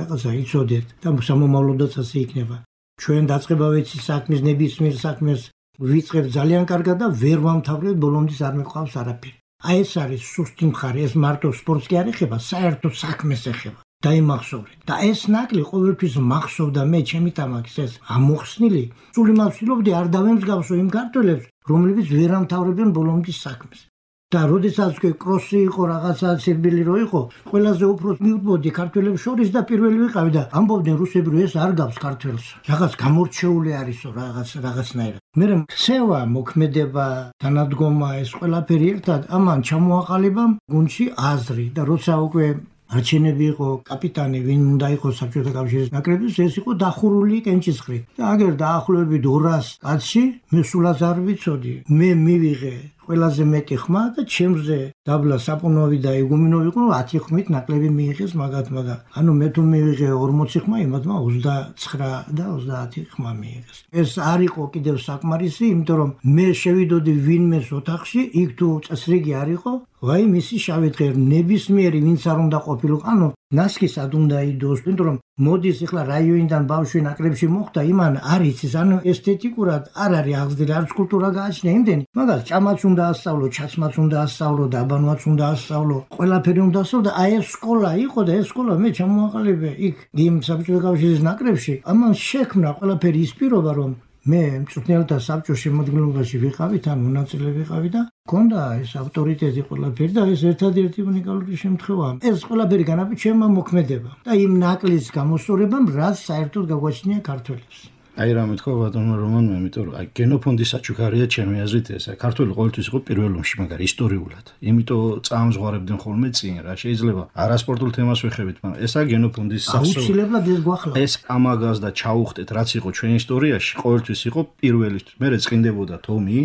რაღაცა იცოდეთ და სამომავლოდაც ასე იქნება. ჩვენ დაწყება ვიცი საქმის ნებისმიერ საქმეს ვიწყებ ძალიან კარგად და ვერ ვამთავრებ, ბოლომდის არ მეყავს არაფერი. აი ეს არის სუსტი მხარე, ეს მარტო სპორტს კი არ ეხება, საერთოდ საქმეს ეხება. დაიმახსოვრეთ. და ეს ნაკლი ყოველთვის მახსოვდა მე ჩემი თამაქის ეს ამოხსნილი, სული მავსილობდი არ დავემსგავსო იმ ქართველებს, რომლებიც ვერ ამთავრებენ ბოლომდის საქმეს. და როდესაც კროსი იყო რაღაცა ცირბილი რო იყო, ყველაზე უფრო მივდოდი ქართველებს შორის და პირველი ვიყავი და ამბობდნენ რუსები რომ ეს არ გავს ქართველს. რაღაც გამორჩეული არისო რაღაცნაირად. მე ქცევა, მოქმედება, თანადგომა ეს ყველაფერი ერთად ამან ჩამოაყალიბა გუნდში აზრი და როცა უკვე არჩენები იყო კაპიტანი, ვინ უნდა იყოს საბჭოთა კავშირის ნაკრების, ეს იყო დახურული კენჭისყრით. და აგერ დაახლოებით 200 კაცში მე სულაც არ ვიცოდი. მე მივიღე ყველაზე მეტი ხმა და ჩემზე დაბლა საპუნოვი და იგუმინოვი იყო 10 ხმით ნაკლები მიიღეს მაგათმა და ანუ მე თუ მივიღე 40 ხმა, იმათმა 29 და 30 ხმა მიიღეს. ეს არ იყო კიდევ საკმარისი, იმიტომ რომ მე შევიდოდი ვინმეს ოთახში, იქ თუ წესრიგი არ იყო, ვაი მისი შავი დღე ნებისმიერი ვინც არ უნდა ყოფილიყო, ანუ ნასკისად უნდა იდოს, იმიტომ რომ მოდის ახლა რაიონიდან ბავშვი ნაკრებში მოხდა, იმან არ იცის, ანუ ესთეტიკურად არ არის აღზრდილი, არც კულტურა გააჩნია იმდენი, მაგას ჭამაც უნდა ასწავლო, ჩაცმაც უნდა ასწავლო და აბანოაც უნდა ასწავლო, ყველაფერი უნდა ასწავლო და აი ეს სკოლა იყო და ეს სკოლა მე ჩამოაყალიბე იქ იმ საბჭოთა კავშირის ნაკრებში, ამან შექმნა ყველაფერი ის პირობა, რომ მე მწვრთნელთა საბჭოს შემადგენლობაში ვიყავი, თან მონაწილე ვიყავი და მქონდა ეს ავტორიტეტი ყველაფერი და ეს ერთადერთი უნიკალური შემთხვევაა. ეს ყველაფერი განაპირობა ჩემმა მოქმედებამ და იმ ნაკლის გამოსწორებამ, რაც საერთოდ გაგვაჩნია ქართველებს. აი რა მეთქვა ბატონო რომანმა, იმიტომ რომ აი გენოფონდის საჩუქარია ჩემი აზრით ეს. აი ქართველი ყოველთვის იყო პირველ ომში, მაგრამ ისტორიულად. იმიტომ წამზღვარებდნენ ხოლმე წინ რა. შეიძლება არასპორტულ თემას ვეხებით, მაგრამ ესა გენოფონდის აუცილებლად ეს გვახლა. ეს ამაგას და ჩაუხტეთ, რაც იყო ჩვენ ისტორიაში, ყოველთვის იყო პირველი. მე წინდებოდა თომი,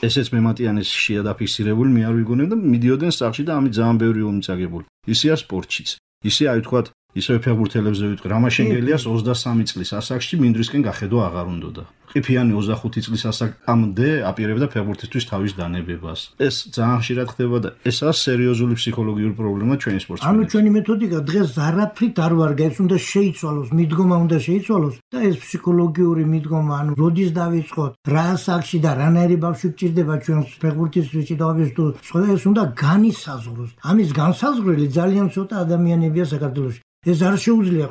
ესეც მემატიანის შია დაფიქსირებული, მე არ ვიგონებ და მიდიოდნენ სახში და ამით ძალიან ბევრი ომი წაგებული. ისეა სპორტშიც. ისე აი თქვა ისე ფეხბურთელებზე ვიტყვი, რამაშენგელიას 23 წლის ასაკში მინდვრისკენ გახედვა აღარ უნდოდა. ყიფიანი 25 წლის ასაკამდე აპირებდა ფეხბურთისთვის თავის დანებებას. ეს ძალიან ხშირად ხდება და ესაა სერიოზული ფსიქოლოგიური პრობლემა ჩვენი სპორტსმენებში. ანუ ჩვენი მეთოდიკა დღეს არაფრით არ ვარგა, ეს უნდა შეიცვალოს, მიდგომა უნდა შეიცვალოს და ეს ფსიქოლოგიური მიდგომა, ანუ როდის დავიწყოთ, რა ასაკში და რანაირი ბავშვი გჭირდება ჩვენს ფეხბურთისთვის ჭიდაობის თუ სხვა, ეს უნდა განისაზღვროს. ამის განსაზღვრელი ძალიან ცოტა ადამიანებია საქართველოში. ეს არ შეუძლია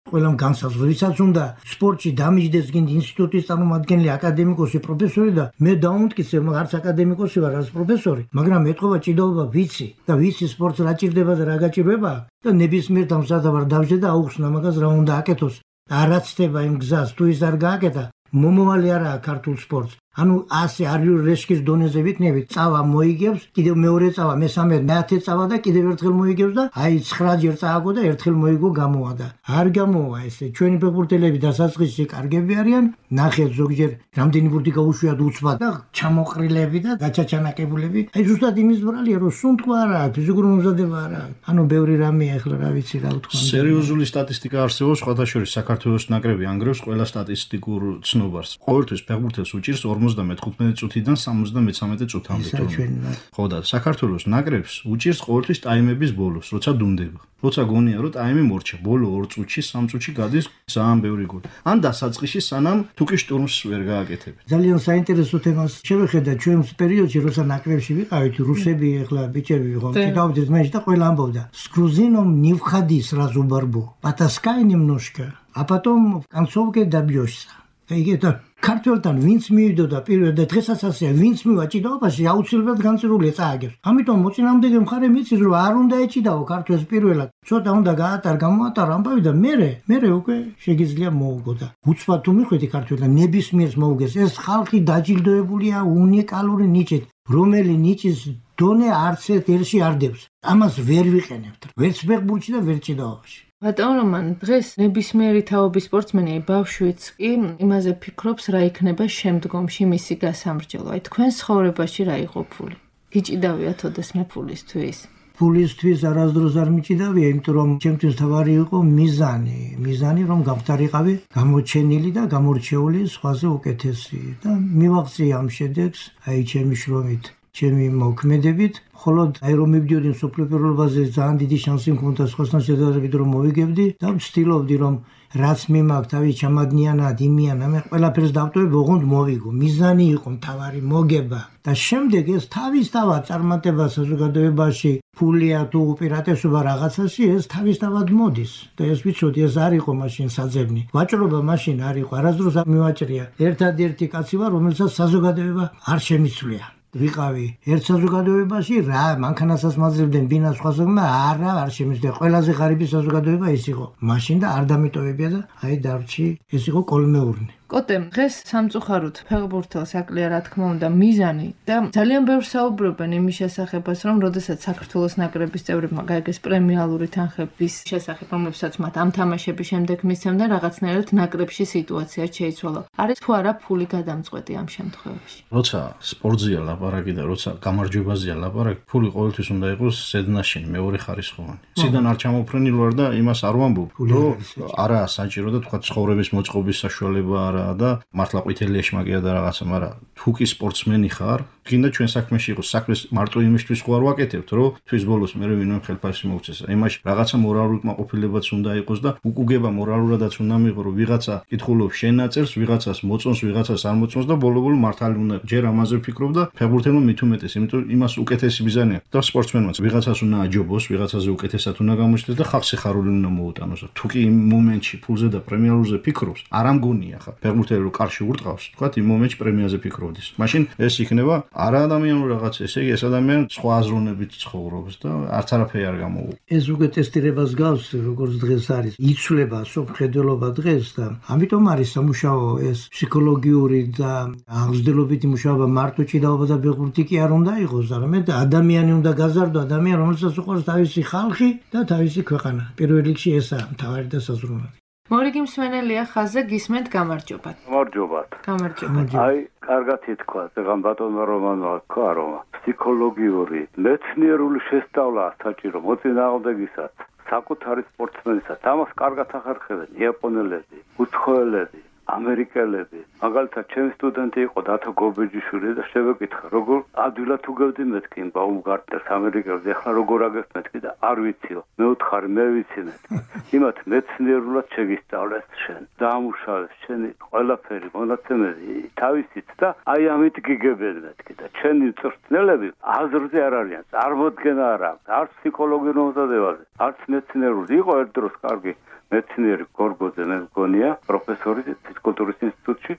ყველამ განსაზღვრა, ვისაც უნდა სპორტში დამიჯდეს გინდა ინსტიტუტის წარმომადგენელი, აკადემიკოსი, პროფესორი და მე დაუმტკიცე, არც აკადემიკოსი ვარ, არც პროფესორი, მაგრამ ეთქობა ჭიდაობა ვიცი და ვიცი სპორტს რა ჭირდება და რა გაჭირდება და ნებისმიერ დამზადავარ დავжде და აუხსნა მაგას რა უნდა აკეთოს. არა ცდება იმ გზას, თუ ის არ გააკეთა, მომავალი არაა ქართულ სპორტს. ანუ ასე არიულ რეშკის დონეზე ვიქნებით, წავა მოიგებს, კიდევ მეორე წავა, მესამე, მეათე წავა და კიდევ ერთხელ მოიგებს და აი 9 ჯერ წააგო და ერთხელ მოიგო გამოვა და არ გამოვა ესე. ჩვენი ფეხბურთელები დასაწყისში კარგები არიან, ნახეთ ზოგჯერ რამდენი ბურთი გაუშვიათ უცბად და ჩამოყრილები და გაჩაჩანაკებულები. აი ზუსტად იმის ბრალია, რომ სუნთქვა არა, ფიზიკური მომზადება არა. ანუ ბევრი რამეა ახლა რა ვიცი რა ვთქვა. სერიოზული სტატისტიკა არსებობს, სხვათა შორის საქართველოს ნაკრები ანგრევს ყველა სტატისტიკურ ცნობარს. ყოველთვის ფეხბურთელს უჭირს 55 წუთიდან 73 წუთამდე. ხო და საქართველოს ნაკრებს უჭირს ყოველთვის ტაიმების ბოლოს, როცა დუნდება. როცა გონია რომ ტაიმი მორჩა, ბოლო 2 წუთში, 3 წუთში გადის ძალიან ბევრი გოლი. ან დასაწყისში სანამ თუკი შტურმს ვერ გააკეთებენ. ძალიან საინტერესო თემას შევხედა ჩვენს პერიოდში, როცა ნაკრებში ვიყავით, რუსები ახლა ბიჭები ვიყო, ჭიდაობდით მეში და ყველა ამბობდა: "С грузином не входи сразу в борьбу. Потаскай немножко, а потом в концовке добьешься". ეგეთა ქართველთან ვინც მივიდოდა პირველ და დღესაც ასეა, ვინც მივა ჭიდაობაში, აუცილებლად განწირულია წააგებს. ამიტომ მოწინააღმდეგე მხარე მიცის, რომ არ უნდა ეჭიდაო ქართველს პირველად. ცოტა უნდა გამოატარო ამბავი და მერე უკვე შეგიძლია მოუგო და უცბად თუ მიხვედი ქართველთან ნებისმიერს მოუგეს. ეს ხალხი დაჯილდოებულია უნიკალური ნიჭით, რომელი ნიჭის დონე არც ერთ ერში არ დევს. ამას ვერ ვიყენებთ. ვერც ფეხბურთში და ვერც ჭიდაობაში. ბატონ რომან, დღეს ნებისმიერი თაობის სპორტსმენი, ბავშვიც კი იმაზე ფიქრობს, რა იქნება შემდგომში მისი გასამრჯელო. აი თქვენ ცხოვრებაში რა იყო ფული? გიჭიდავიათ ოდესმე ფულისთვის? ფულისთვის არასდროს არ მიჭიდავია, იმიტომ რომ ჩემთვის თავარი იყო მიზანი, რომ გამختარიყავი გამოჩენილი და გამორჩეული სხვაზე უკეთესი და მივაღწია ამ შედეგს, აი ჩემი შრომით, ჩემი მოქმედებით, ხოლოდ აი რომ მივდიოდი მსოფლიო პირველობაზე ძალიან დიდი შანსი მქონდა სხვასთან შედარებით რომ მოვიგებდი და ვცდილობდი რომ რაც მიმაქვს თავი ჩამადნიანად იმიანა მე ყველაფერს დავტოვებ ოღონდ მოვიგო მიზანი იყო მთავარი მოგება და შემდეგ ეს თავისთავად წარმატება საზოგადოებაში ფულია თუ უპირატესობა რაღაცაში ეს თავისთავად მოდის და ეს ვიცოდი ეს არ იყო მაშინ საძებნი ვაჭრობა მაშინ არ იყო არასდროს არ მივაჭრია ერთადერთი კაცი ვარ რომელსაც საზოგადოება არ შემიცვლია ვიყავი ერთ საზოგადოებაში რა მანქანასაც მაძლევდნენ ბინას სხვასაგმა არ შემიძლია ყველაზე ღარიბი საზოგადოება ის იყო მაშინ და არ დამიტოვებია და აი დარჩი ეს იყო კოლმეურნე კოტემ დღეს სამწუხაროდ ფეხბურთელს აკლია რა თქმა უნდა მიზანი და ძალიან ბევრ საუბრობენ იმის შესახებას რომ როდესაც საქართველოს ნაკრების წევრებმა გაიგეს პრემიალური თანხების შესახებ რომლებსაც მათ ამ თამაშების შემდეგ მისცემდნენ რაღაცნაირად ნაკრებში სიტუაცია შეიცვალა არის თუ არა ფული გადამწყვეტი ამ შემთხვევაში როცა სპორტზეა ლაპარაკი და როცა გამარჯვებაზეა ლაპარაკი ფული ყოველთვის უნდა იყოს ზედნაშენი მეორე ხარისხოვანი ციდან არ ჩამოფრენილ ვარ და იმას არ ვამბობ რომ არა საჭირო და თქვა ცხოვრების მოწყობის საშუალება და მართლა ყვითელი ეშმაკია და რაღაცა, მაგრამ თუ კი სპორტსმენი ხარ, გინდა ჩვენ საქმეში იყოს, საქმეს მარტო იმისთვის ხო არ ვაკეთებთ, რომ თვის ბოლოს მე ვინმე ხელფასი მოვცეს. იმაში რაღაცა მორალური კმაყოფილებაც უნდა იყოს და უკუგება მორალურადაც უნდა მიიღო, რომ ვიღაცა კითხულობს შენ ნაწერს, ვიღაცას მოწონს, ვიღაცას არ მოწონს და ბოლო-ბოლო მართალი უნდა ჯერ ამაზე ვფიქრობ და ფეხბურთელმა მით უმეტეს, იმიტომ იმას უკეთესი მიზანი აქვს. და სპორტსმენმაც ვიღაცას უნდა აჯობოს, ვიღაცაზე უკეთესად უნდა გამოჩნდეს და ხალხს სიხარული უნდა მოუტანოს. თუ კი იმ მომენტში ფულზე და პრემიალურზე ფიქრობს, არ ამგონია ხა. ფეხბურთელი რო კარში ურტყავს, თქვა იმ მომენტში პრემიაზე ფიქრობდეს. მაშინ ეს იქნება არა ადამიანური რაღაც, ესე იგი ეს ადამიანი სხვა აზროვნებით ცხოვრობს და არც არაფერი არ გამოუვა. ეს უკვე ტესტირებას გავს, როგორც დღეს არის. იცვლება სოფხედელობა დღეს და ამიტომ არის სამუშაო ეს ფსიქოლოგიური და აღზრდილობითი მუშაობა მარტო ჭიდაობა და ფეხბურთი კი არ უნდა იყოს, არამედ ადამიანი უნდა გაზარდო, ადამიანი რომელსაც უყვარს თავისი ხალხი და თავისი ქვეყანა. პირველ რიგში ესაა მთავარი და საზრუნავი. მორიგი მსმენელია ხაზზე გისმენთ გამარჯობათ. გამარჯობათ. აი, კარგად ითქვა, ზეგან ბატონმა რომანმა თქვა, რომ ფსიქოლოგიური, მეცნიერული შესწავლა საჭირო მოწინააღმდეგისაც, საკუთარი სპორტსმენისაც. ამას კარგად ახერხებენ იაპონელები, უცხოელები, ამერიკელები. მაგალითად, ჩემი სტუდენტი იყო დათო გობეჯიშვილი და შევეკითხა, როგორ ადვილად უგებდი მეთქი ბაუმგარტნერს ამერიკელს, ეხლა როგორ აგებს მეთქი და არ ვიციო. მე ვთხარი, მე ვიცი მეთქი. იმათ მეცნიერულად შეგისწავლეს შენ. დაამუშავეს შენი ყველაფერი, მონაცემები, თავისით და აი ამით გიგებენ მეთქი და ჩვენი მწვრთნელები აზრზე არ არიან, წარმოდგენა არ აქვს, არც ფსიქოლოგიურ მომზადებაზე, არც მეცნიერული. იყო ერთ დროს კარგი მეცნიერი გორგოძე მე მგონია პროფესორი ფიზიკულტურის ინსტიტუტში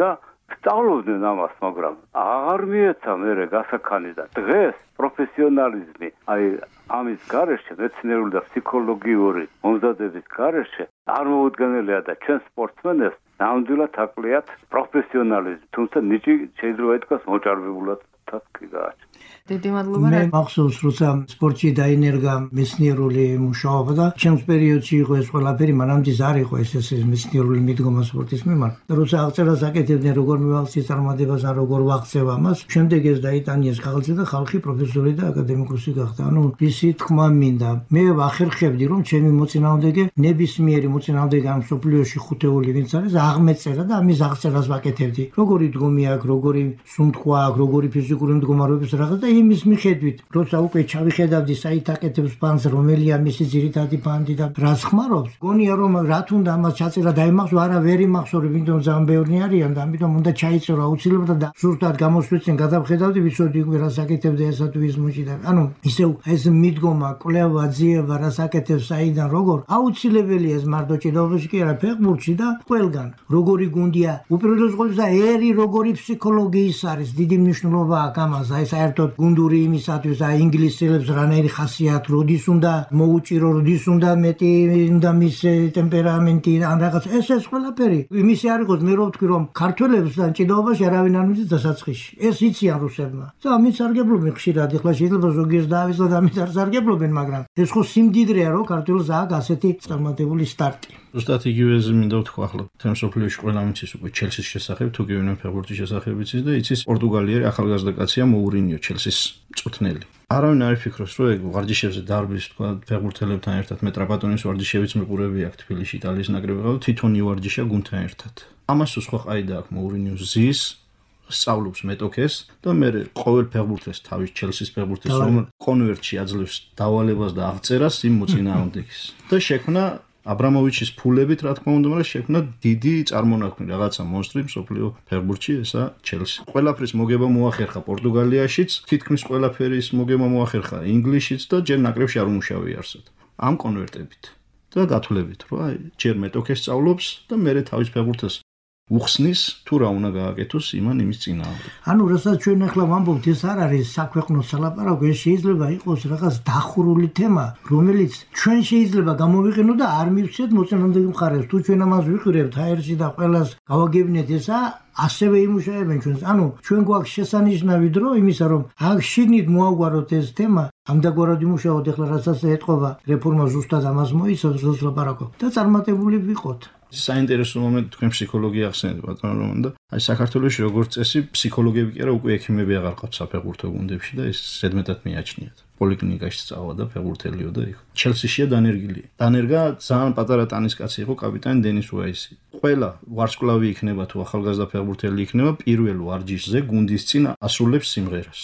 და სწავლობდნენ ამას, მაგრამ აღარ მიეცა მერე გასაქანი და დღეს პროფესიონალიზმი აი ამის გარეშე მეცნიერული და ფსიქოლოგიური მომზადების გარეშე არ მოუდგენელია და ჩვენ სპორტსმენებს ნამდვილად აკლიათ პროფესიონალიზმი, თუმცა ნიჭი შეიძლება ითქვას მოჭარბებულად თასკი გააჩნია. დიდი მადლობა. მე მახსოვს, როცა სპორტში დაინერგა მეცნიერული მუშაობა და ჩემს პერიოდში იყო ეს ყველაფერი, მანამდე არ იყო ეს მეცნიერული მიდგომა სპორტის მიმართ. და როცა აღწერას აკეთებდნენ, როგორ მივახციე წარმატებას, ან როგორ ვაღწევ ამას, შემდეგ ეს დაიტანიეს ხალხზე და ხალხი პროფესორი და აკადემიკოსი გახდა. ანუ ისი თქმა მინდა. მე ვახერხებდი, რომ ჩემი მოწინააღმდეგე ნებისმიერი მოწინააღმდეგე ამ სოფლიოში ხუთეული ვინც არის, აღმეწერა და ამის აღწერას ვაკეთებდი. როგორი დგომი აქვს, როგორი სუნთქვა აქვს, როგორი ფიზიკური მდგომარეობის რაღაც და იმის მიხედვით, როცა უკვე ჩავიხედავდი საით აკეთებს ფანს, რომელია მისი ძირითადი ფანდი და რას ხმარობს, გონია რომ რა თუნდა ამას ჩაწერა დაიმახსოვრ, არა ვერ იმახსოვრებ, იმიტომ ძალიან ბევრი არიან და ამიტომ უნდა ჩაიწერო აუცილებლად და ზუსტად გამოსვლისწინ გადავხედავდი, ვიცოდი უკვე რას აკეთებდა ესა თუ ის მუჭი და ანუ ისევ ეს მიდგომა, კვლევა, ძიება, რას აკეთებს საიდან როგორ, აუცილებელია ეს მარტო ჭიდაობაში კი არა, ფეხბურთში და ყველგან. როგორი გუნდია, უპირველეს ყოვლისა ერი როგორი ფსიქოლოგიის არის, დიდი მნიშვნელობა აქვს ამას, აი საერთო საერთოდ გუნდური იმისათვის და ინგლისელებს რანაირი ხასიათი როდის უნდა მოუჭირო, როდის უნდა მეტი უნდა მის ტემპერამენტი ან რაღაც ეს ყველაფერი იმისი არ იყოს მე რო ვთქვი რომ ქართველებსთან ჭიდაობაში არავინ არ მიწის დასაწყისში ეს იციან რუსებმა და ამით სარგებლობენ ხშირად ეხლა შეიძლება ზოგიერთ დავისლად ამით არ სარგებლობენ მაგრამ ეს ხო სიმდიდრეა რომ ქართველს აქვს ასეთი წარმატებული სტარტი ზუსტად იგივეზე მინდა ვთქვა ახლა თემ სოფლიოში ყველა მიცის უკვე ჩელსის შესახებ თუ გივინე ფეხბურთის შესახებ იცის და იცის პორტუგალიელი ახალგაზრდა კაცია მოურინიო ჩელსის მწვრთნელი არავინ არ ფიქრობს რომ ეგ ვარჯიშებზე დარბის თქვა ფეხბურთელებთან ერთად მეტრაპატონის ვარჯიშებიც მიყურები აქ თბილისში იტალიის ნაკრები ყავ თვითონ ივარჯიშა გუნდთან ერთად ამას სხვა ყაიდა აქვს მოურინიოს ზის სწავლობს მეტოქეს და მე ყოველ ფეხბურთელს თავის ჩელსის ფეხბურთელს რომ კონვერტში აძლევს დავალებას და აღწერას იმ მოწინააღმდეგის და შექმნა აბრამოვიჩის ფულებით რა თქმა უნდა მაგრამ შექმნა დიდი წარმონაქმნი რაღაცა მონსტრი მსოფლიო ფეხბურთში ესა ჩელსი ყველაფრის მოგება მოახერხა პორტუგალიაშიც თითქმის ყველაფერის მოგება მოახერხა ინგლისშიც და ჯერ ნაკრებში არ უმუშავია არსად ამ კონვერტებით და გათვლებით რომ აი ჯერ მეტოქეს სწავლობს და მე თავის ფეხბურთელს უხსნის თუ რა უნდა გააკეთოს იმან იმის წინააღმდეგ. ანუ რასაც ჩვენ ახლა ვამბობთ ეს არ არის საქვეყნო სალაპარაკო, ეს შეიძლება იყოს რაღაც დახურული თემა, რომელიც ჩვენ შეიძლება გამოვიყენოთ და არ მივცეთ მოწინააღმდეგე მხარეს. თუ ჩვენ ამას ვიყურებთ ჰაერში და ყველას გავაგებინეთ ესა ასევე იმუშავებენ ჩვენს. ანუ ჩვენ გვაქვს შესანიშნავი დრო იმისა რომ აქ შიგნით მოაგვაროთ ეს თემა, ამდაგვარად იმუშაოთ ახლა რასაც ეთყობა რეფორმა ზუსტად ამას მოიცავს ლაპარაკო და წარმატებული ვიყოთ. საინტერესო მომენტი თქვენ ფსიქოლოგია ახსენეთ ბატონო რომან და აი საქართველოში როგორც წესი ფსიქოლოგები კი არა უკვე ექიმები აღარ ყავთ საფეხბურთო გუნდებში და ეს ზედმეტად მიაჩნიათ. პოლიკლინიკაში სწავლა და ფეხბურთელიო და იქ. ჩელსიშია დანერგილია. დანერგა ძალიან პატარა ტანისკაცი იყო კაპიტანი დენის უაისი. ყველა ვარსკვლავი იქნება თუ ახალგაზრდა ფეხბურთელი იქნება პირველ ვარჯიშზე გუნდის წინ ასრულებს სიმღერას.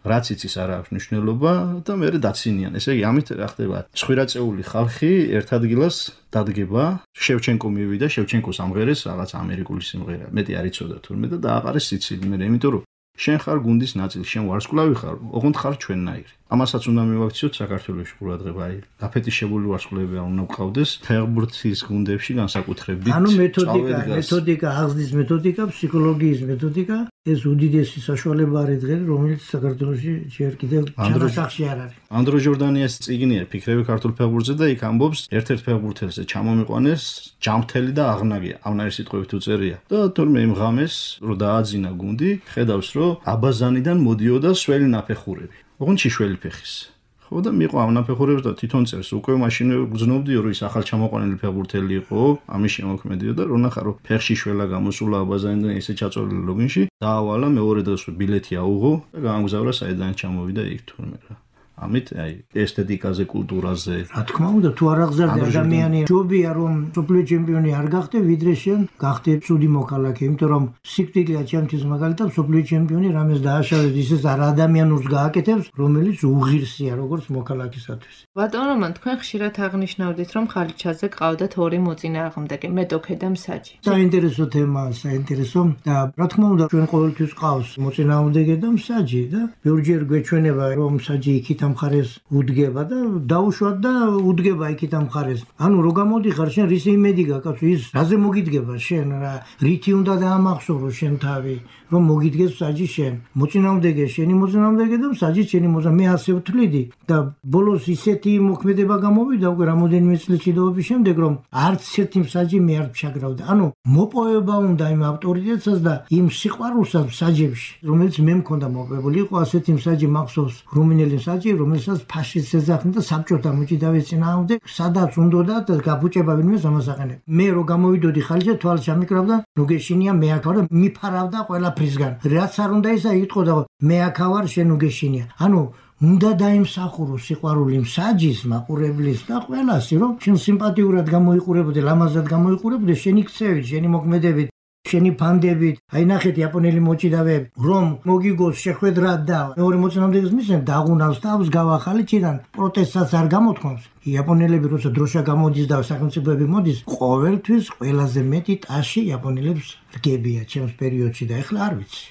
რაც იცის არ აქვს მნიშვნელობა და მე დაცინიან. ესე იგი ამით რა ხდება? 9 წეული ხალხი ერთ ადგილას დადგება. შევჩენკო მივიდა, შევჩენკოს ამღერეს რაღაც ამერიკული სიმღერა. მეტი არ იცოდა თურმე და დააყარეს სიცილი. მე იმიტომ რომ შენ ხარ გუნდის ნაწილი, შენ ვარსკვლავი ხარ, ოღონდ ხარ ჩვენნაირი. ამასაც უნდა მივაქციოთ საქართველოში ყურადღება. აი, გაფეტიშებული ვარსკვლავები არ უნდა გყავდეს ფეხბურთის გუნდებში განსაკუთრებით. ანუ მეთოდიკა, აღზრდის მეთოდიკა, ფსიქოლოგიის მეთოდიკა, ეს უდიდესი საშუალება არის დღეს, რომელიც საქართველოში ჯერ კიდევ ჩანასახში არ არის. ანდრო ჟორდანიას წიგნია ფიქრები ქართულ ფეხბურთზე და იქ ამბობს ერთ-ერთ ფეხბურთელზე ჩამომიყვანეს ჯამთელი და აღნაგია. ამნაირი სიტყვებით უწერია. და თორმე იმ ღამეს რომ დააძინა გუნდი, ხედავს რომ აბაზანიდან მოდიოდა სველი ნაფეხურები. ოღონდ შველი ფეხის. ხო და მიყვა ამ ნაფეხურებს და თვითონ წერს უკვე მაშინვე გძნობდიო რომ ის ახალ ჩამოყვანილი ფეხბურთელი იყო, ამის შემოქმედიო და რო ნახა რომ ფეხში შველა გამოსულა აბაზანიდან ესე ჩაწოლილი ლოგინში, დაავალა მეორე დღეს ბილეთი აუღო და გაამგზავრა საიდან ჩამოვიდა იქ თურმე რა. ამით აი ესთეტიკაზე, კულტურაზე. რა თქმა უნდა, თუ არ აღზარდა ადამიანი, ჯობია რომ სოფლიო ჩემპიონი არ გახდე, ვიდრე შენ გახდე ცუდი მოქალაქე, იმიტომ რომ სიკვდილია ჩემთვის მაგალითად სოფლიო ჩემპიონი რამეს დააშავეს ისეს არ ადამიანურს გააკეთებს, რომელიც უღირსია როგორც მოქალაქისათვის. ბატონო რომან, თქვენ ხშირად აღნიშნავდით, რომ ხალიჩაზე ყავდათ ორი მოწინააღმდეგე, მეტოქე და მსაჯი. საინტერესო თემაა, საინტერესო და რა თქმა უნდა, ჩვენ ყოველთვის ყავს მოწინააღმდეგე და მსაჯი და ბევრჯერ გვეჩვენება რომ მსაჯი იქით მხარეს უდგება და დაუშვათ და უდგება იქით ამ მხარეს. ანუ რო გამოდიხარ შენ რის იმედი გაქვს ის რაზე მოგიდგება შენ რა რითი უნდა დაამახსოვრო შენ თავი რომ მოგიდგეს მსაჯი შენ. მოწინააღმდეგე შენი მოწინააღმდეგე და მსაჯი შენი მე ასე ვთვლიდი და ბოლოს ისეთი მოქმედება გამოვიდა უკვე რამოდენიმე წლის ჭიდაობის შემდეგ რომ არც ერთი მსაჯი მე არ ფშაგრავდა. ანუ მოპოვება უნდა იმ ავტორიტეტსაც და იმ სიყვარულსაც მსაჯებში რომელიც მე მქონდა მოპოვებული იყო ასეთი მსაჯი მახსოვს რუმინელი მსაჯი რომელსაც ფაშისტს ეძახდნენ და საბჭოთა მოჭიდავე წინააღმდეგ სადაც უნდოდა და გაბუჭება ვინმე ამას აყენებ. მე რო გამოვიდოდი ხალიჩა თვალს ჩამიკრავდა ნუგეშინია მე აქ ვარ და მიფარავდა ყველაფრისგან. რაც არ უნდა ისა იტყოდა მე აქ ვარ შენ ნუგეშინია. ანუ უნდა დაიმსახურო სიყვარული მსაჯის, მაყურებლის და ყველასი რომ შენ სიმპათიურად გამოიყურებოდე, ლამაზად გამოიყურებოდე შენი ქცევით, შენი მოქმედებით შენი ფანდებით, აი ნახეთ იაპონელი მოჭიდავეები, რომ მოგიგოს შეხვედრად და მეორე მოწინააღმდეგეს მისცემ დაღუნავს თავს გავახალიჩიდან პროტესტსაც არ გამოთქვამს. იაპონელები როცა დროშა გამოდის და სახელმწიფოები მოდის, ყოველთვის ყველაზე მეტი ტაში იაპონელებს რგებია ჩემს პერიოდში და ეხლა არ ვიცი.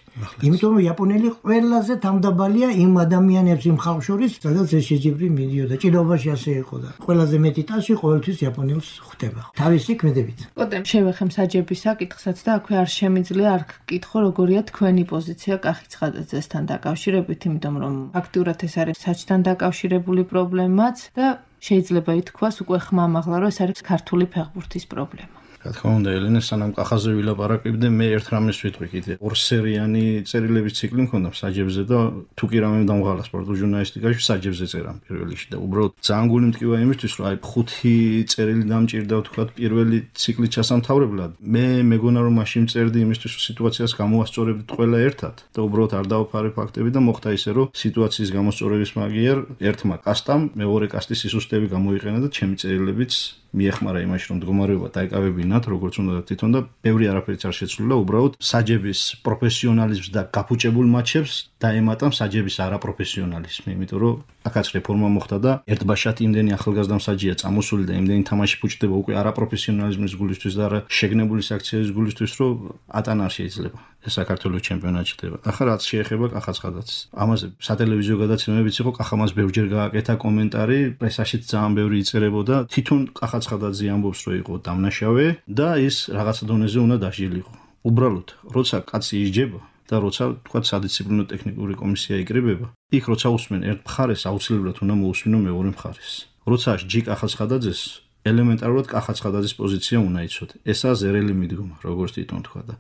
იმიტომ რომ იაპონელი ყველაზე თავდაბალია იმ ადამიანებს იმ ხალხ შორის, სადაც ეს შეჯიბრი მიდიოდა. ჭიდაობაში ასე იყო და ყველაზე მეტი ტაში ყოველთვის იაპონელს ხვდება. თავისი ქმედებით. კოტე შევეხემ საჯების საკითხსაც და აქვე არ შემიძლია არ გკითხო როგორია თქვენი პოზიცია კახი ცხადაძესთან დაკავშირებით, იმიტომ რომ ფაქტურად ეს არის საჯთან დაკავშირებული პრობლემაც და შეიძლება ითქვას უკვე ხმამაღლა რომ ეს არის ქართული ფეხბურთის პრობლემა. რა თქმა უნდა, ელენე, სანამ კახაზე ვილაპარაკებდე, მე ერთ რამეს ვიტყვი კიდე. ორსერიანი წერილების ციკლი მქონდა საჯებზე და თუ კი რამე დამღალა სპორტულ ჟურნალისტიკაში საჯებზე წერამ პირველ რიგში და უბრალოდ ძალიან გული მტკივა იმისთვის, რომ აი 5 წერილი დამჭირდა ვთქვათ პირველი ციკლი ჩასამთავრებლად. მე მეგონა რომ მაშინ წერდი იმისთვის, რომ სიტუაციას გამოვასწორებდით ყველა ერთად და უბრალოდ არ დავაფარე ფაქტები და მოხდა ისე, რომ სიტუაციის გამოსწორების მაგიერ ერთმა კასტამ მეორე კასტის სისუსტეები გამოიყენა და ჩემი წერილებიც მიეხმარა იმაში, რომ მდგომარეობა დაეკავებინათ, როგორც უნდა თვითონ და ბევრი არაფერიც არ შეცვლილა, უბრალოდ საჯების პროფესიონალიზმს და გაფუჭებულ მატჩებს დაემატა საჯების არაპროფესიონალიზმი, იმიტომ რომ აქაც რეფორმა მოხდა და ერთბაშად იმდენი ახალგაზრდა მსაჯია წამოსული და იმდენი თამაში ფუჭდება უკვე არაპროფესიონალიზმის გულისთვის და არა შეგნებული საქციელის გულისთვის, რომ ატანა არ შეიძლება. ეს საქართველოს ჩემპიონატი ხდება. ახლა რაც შეეხება კახაცხადაძეს. ამაზე სატელევიზიო გადაცემებიც იყო, კახამას ბევრჯერ გააკეთა კომენტარი, პრესაშიც ძალიან ბევრი იწერებოდა. თვითონ კახაცხადაძე ამბობს, რომ იყო დამნაშავე და ის რაღაცა დონეზე უნდა დასჯილიყო. უბრალოდ, როცა კაცი ისჯება და როცა თქვა სადისციპლინო ტექნიკური კომისია იკრიბება, იქ როცა უსმენ ერთ მხარეს, აუცილებლად უნდა მოусმინო მეორე მხარეს. როცა ჯი კახაცხადაძეს ელემენტარულად კახაცხადაძის პოზიცია უნდა იცოდე. ესაა ზერელი მიდგომა, როგორც თვითონ თქვა და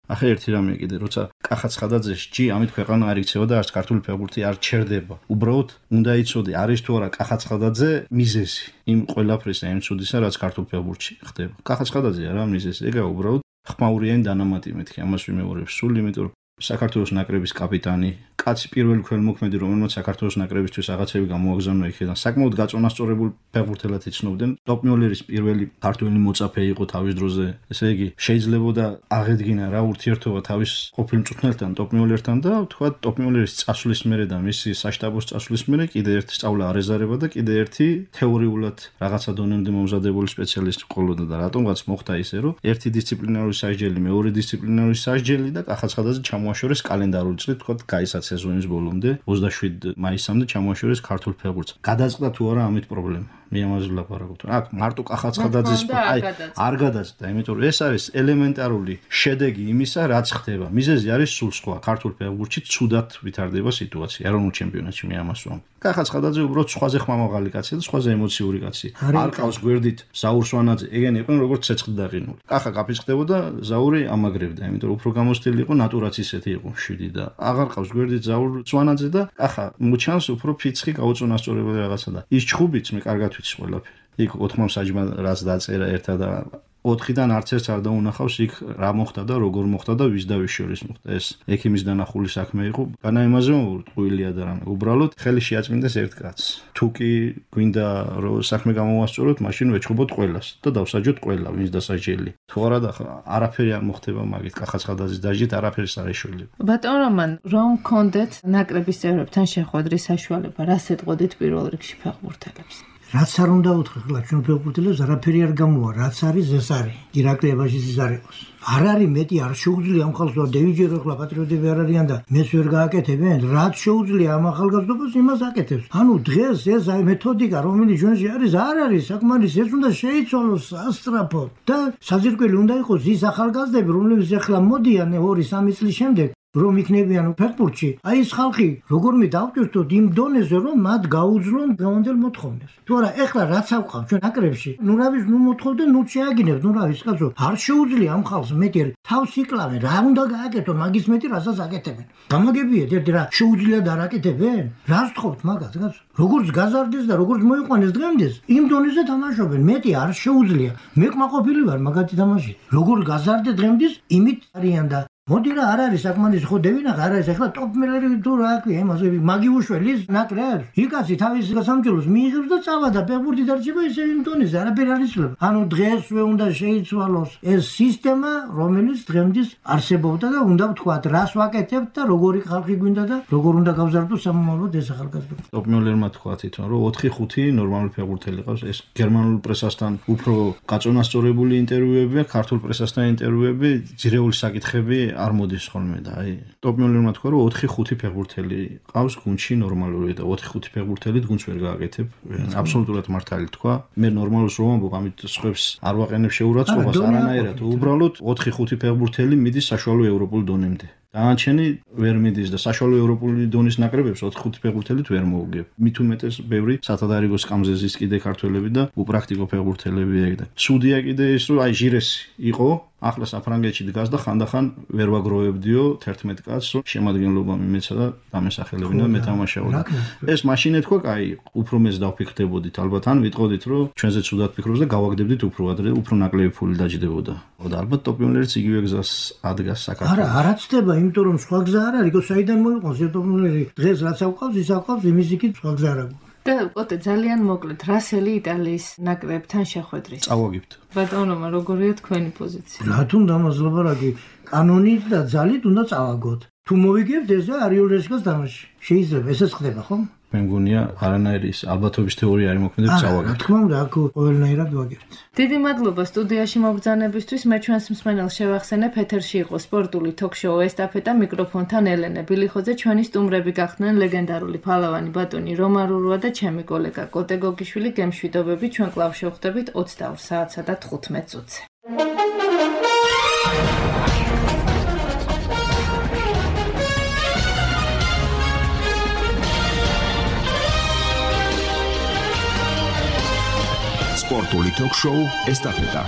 ახლა ერთი რამე კიდე, როცა კახაცხადაძეს ჯი ამით ქვეყანა არ იქცევა და არც ქართული ფეხბურთი არ ჩერდება. უბრალოდ უნდა იცოდე, არის თუ არა კახაცხადაძე მიზეზი იმ ყველაფრისა, იმ ცუდისა, რაც ქართულ ფეხბურთში ხდება. კახაცხადაძე არა მიზეზი, ეგა უბრალოდ ხმაურიანი დანამატი მეთქი, ამას ვიმეორებ სულ, იმიტომ რომ საქართველოს ნაკრების კაპიტანი, კაცი პირველი ქველმოქმედი, რომელმაც საქართველოს ნაკრებისთვის რაღაცები გამოაგზავნა იქიდან, საკმაოდ გაწონასწორებულ ფეხბურთელად იცნობდნენ. ტოპ მიოლერის პირველი ქართველი მოწაფე იყო თავის დროზე. ესე იგი, შეიძლებოდა აღედგინა რა ურთიერთობა თავის ყოფილ მწვრთნელთან, ტოპ მიოლერთან და თქვა ტოპ მიოლერის წასვლის მერე და მისი საშტაბოს წასვლის მერე კიდე ერთი სწავლა არ ეზარება და კიდე ერთი თეორიულად რაღაცა დონემდე მომზადებული სპეციალისტი ყოლოდა და რატომღაც მოხდა ისე, რომ ერთი დისციპლინარული სასჯელი, მეორე დისციპლინარული სასჯელი და კახაცხადაძე ჩამოაშორეს კალენდარული წლით, თქვა გაიცა სეზონის ბოლომდე 27 მაისამდე ჩამოაშორეს ქართულ ფეხბურთს. გადაწყდა თუ არა ამით პრობლემა? მე ამაზე ვლაპარაკობ. აქ მარტო კახაცხადაძის აი არ გადაწყდა, იმიტომ რომ ეს არის ელემენტარული შედეგი იმისა, რაც ხდება. მიზეზი არის სულ სხვა. ქართულ ფეხბურთში ცუდად ვითარდება სიტუაცია. ეროვნულ ჩემპიონატში მე ამას ვამბობ. კახაცხადაძე უბრალოდ სხვაზე ხმამაღალი კაცია და სხვაზე ემოციური კაცია. არ ყავს გვერდით ზაურ სვანაძე, ეგენი იყვნენ როგორც ცეცხლი დაყინული. კახა კაფიცხდებოდა, ზაური ამაგრებდა, იმიტომ რომ უფრო გამოსტილი იყო, ნატურაც ისეთი იყო 7 და აღარ ყავს გვერდით ზაურ სვანაძე და კახა მოჩანს უფრო ფიცხი გაუწონასწორებელი რაღაცა და ის ჩხუბიც მე კარგად ვიცი ყველაფერი. იქ 4 საჯმა რაც დაწერა ერთად და 4-დან არც ერთს არ დაუნახავს იქ რა მოხდა და როგორ მოხდა და ვის და ვის შორის მოხდა. ეს ექიმის დანახული საქმე იყო. განა იმაზე ტყუილია და რამე. უბრალოდ ხელი შეაწმინდეს ერთ კაცს. თუ კი გვინდა რომ საქმე გამოვასწოროთ, მაშინ ვეჩხუბოთ ყველას და დავსაჯოთ ყველა, ვინც დასაჯელი. თუ არა და არაფერი არ მოხდება მაგით კახაცხადაძის დაჯით, არაფერს არ ეშველება. ბატონ რომან, რომ გქონდეთ ნაკრების წევრებთან შეხვედრის საშუალება, რას ეტყოდით პირველ რიგში ფეხბურთელებს? რაც არ უნდა უთხრა, ხლა ჩვენ ფეხბურთელებს არაფერი არ გამოვა, რაც არის ეს არის. ირაკლიებაშიც ის არ იყოს. არ არის მეტი, არ შეუძლია ამ ხალხს და დევიჯერო ხლა პატრიოტები არ არიან და მეც ვერ გააკეთებენ, რაც შეუძლია ამ ახალგაზრდობას იმას აკეთებს. ანუ დღეს ეს აი მეთოდიკა, რომელიც ჩვენში არის, არ არის საკმარისი, ეს უნდა შეიცვალოს სასწრაფოდ და საძირკველი უნდა იყოს ის ახალგაზრდები, რომლებიც ახლა მოდიან 2-3 წლის შემდეგ რომ იქნებიან ფეხბურთში, აი ეს ხალხი როგორმე დავჭირთოთ იმ დონეზე, რომ მათ გაუძლონ დღევანდელ მოთხოვნებს. თუ არა, ეხლა რაც ავყავ ჩვენ ნაკრებში, ნუ რავის ნუ მოთხოვდე, ნუ შეაგინებთ, ნუ რავის კაცო, არ შეუძლია ამ ხალხს მეტი თავს იკლავენ, რა უნდა გააკეთონ, მაგის მეტი რასაც აკეთებენ. გამაგებიეთ ერთი რა შეუძლია და არ აკეთებენ? რას თხოვთ მაგას, კაცო? როგორც გაზარდეს და როგორც მოიყვანეს დღემდეს, იმ დონეზე თამაშობენ, მეტი არ შეუძლია. მე კმაყოფილი ვარ მაგათი თამაშით. როგორ გაზარდე დღემდის, იმით არიან და მოდი რა არ არის საკმარის ხო დევინახე არ არის ახლა ტოპ მელერი თუ რა ქვია იმაზე მაგიუშველის ნაკრებს იკაცი თავის სამჯეროს მიიღებს და წავა და ფეხბურთი დარჩება ისე იმ დონეზე არაფერი არ იცვლება ანუ დღესვე უნდა შეიცვალოს ეს სისტემა რომელიც დღემდის არსებობდა და უნდა ვთქვათ რას ვაკეთებთ და როგორი ხალხი გვინდა და როგორ უნდა გავზარდოს სამომავლოდ ეს ახალგაზრდა ტოპ მელერმა თქვა თვითონ რომ 4-5 ნორმალური ფეხბურთელი ყავს ეს გერმანულ პრესასთან უფრო გაწონასწორებული ინტერვიუებია ქართულ პრესასთან ინტერვიუები ძირეული საკითხები არ მოდის ხოლმე და აი ტოპ მელერმა თქვა რომ 4-5 ფეხბურთელი ყავს გუნდში ნორმალური და 4-5 ფეხბურთელი გუნდს ვერ გააკეთებ აბსოლუტურად მართალი თქვა მე ნორმალურს რომ ამბობ ამით სხვებს არ ვაყენებ შეურაცხყოფას არანაირად უბრალოდ 4-5 ფეხბურთელი მიდის საშუალო ევროპულ დონემდე დანარჩენი ვერ მიდის და საშუალო ევროპული დონის ნაკრებებს 4-5 ფეხბურთელით ვერ მოუგებ. მით უმეტეს ბევრი სათადარიგო სკამზე ზის კიდე ქართველები და უპრაქტიკო ფეხბურთელები ეგ და. ცუდია კიდე ის რომ აი ჟირესი იყო ახლა საფრანგეთში დგას და ხანდახან ვერ ვაგროვებდიო 11 კაცს რომ შემადგენლობა მიმეცა და დამესახელებინა მეტამაშაოდა. ეს მაშინ ეთქვა კაი უფრო მეც დავფიქრდებოდით ალბათ ან ვიტყოდით რომ ჩვენზე ცუდად ფიქრობს და გავაგდებდით უფრო ადრე უფრო ნაკლები ფული დაჯდებოდა. და ალბათ ტოპ-მილერიც იგივე გზას ადგას საქართველოს. არა ცდება იმიტომ რომ სხვა გზა არ არის, საიდან მოიყვანს ტოპ-მილერი დღეს რაც აყავს ის აყავს იმის იქით სხვა გზა არ აქვს. და ოტე ძალიან მოკლედ რასელი იტალიის ნაკრებთან შეხვედრის. წავაგებთ. ბატონომა როგორია თქვენი პოზიცია? რა თუნდა მასლაბარაგი კანონით და ძალით უნდა წავაგოთ. თუ მოვიგებთ ეს არიულ რესკას თამაში. შეიძლება ესეც ხდება ხო? მე მგონია არანაირი ალბათობის თეორია არ მოქმედებს წავაგებთ. რა თქმა უნდა აქ ყველანაირად ვაგებთ. დიდი მადლობა სტუდიაში მობრძანებისთვის. მე ჩვენს მსმენელს შევახსენებ ეთერში იყო სპორტული ток-შოუ ესტაფეტა მიკროფონთან ელენე ბილიხოძე ჩვენი სტუმრები გახდნენ ლეგენდარული ფალავანი ბატონი რომა რურვა და ჩემი კოლეგა კოტე გოგიშვილი გემშვიდობები ჩვენ კлау შევხვდებით 22 საათსა და 15 წუთზე. სპორტული ток-შოუ ესტაფეტა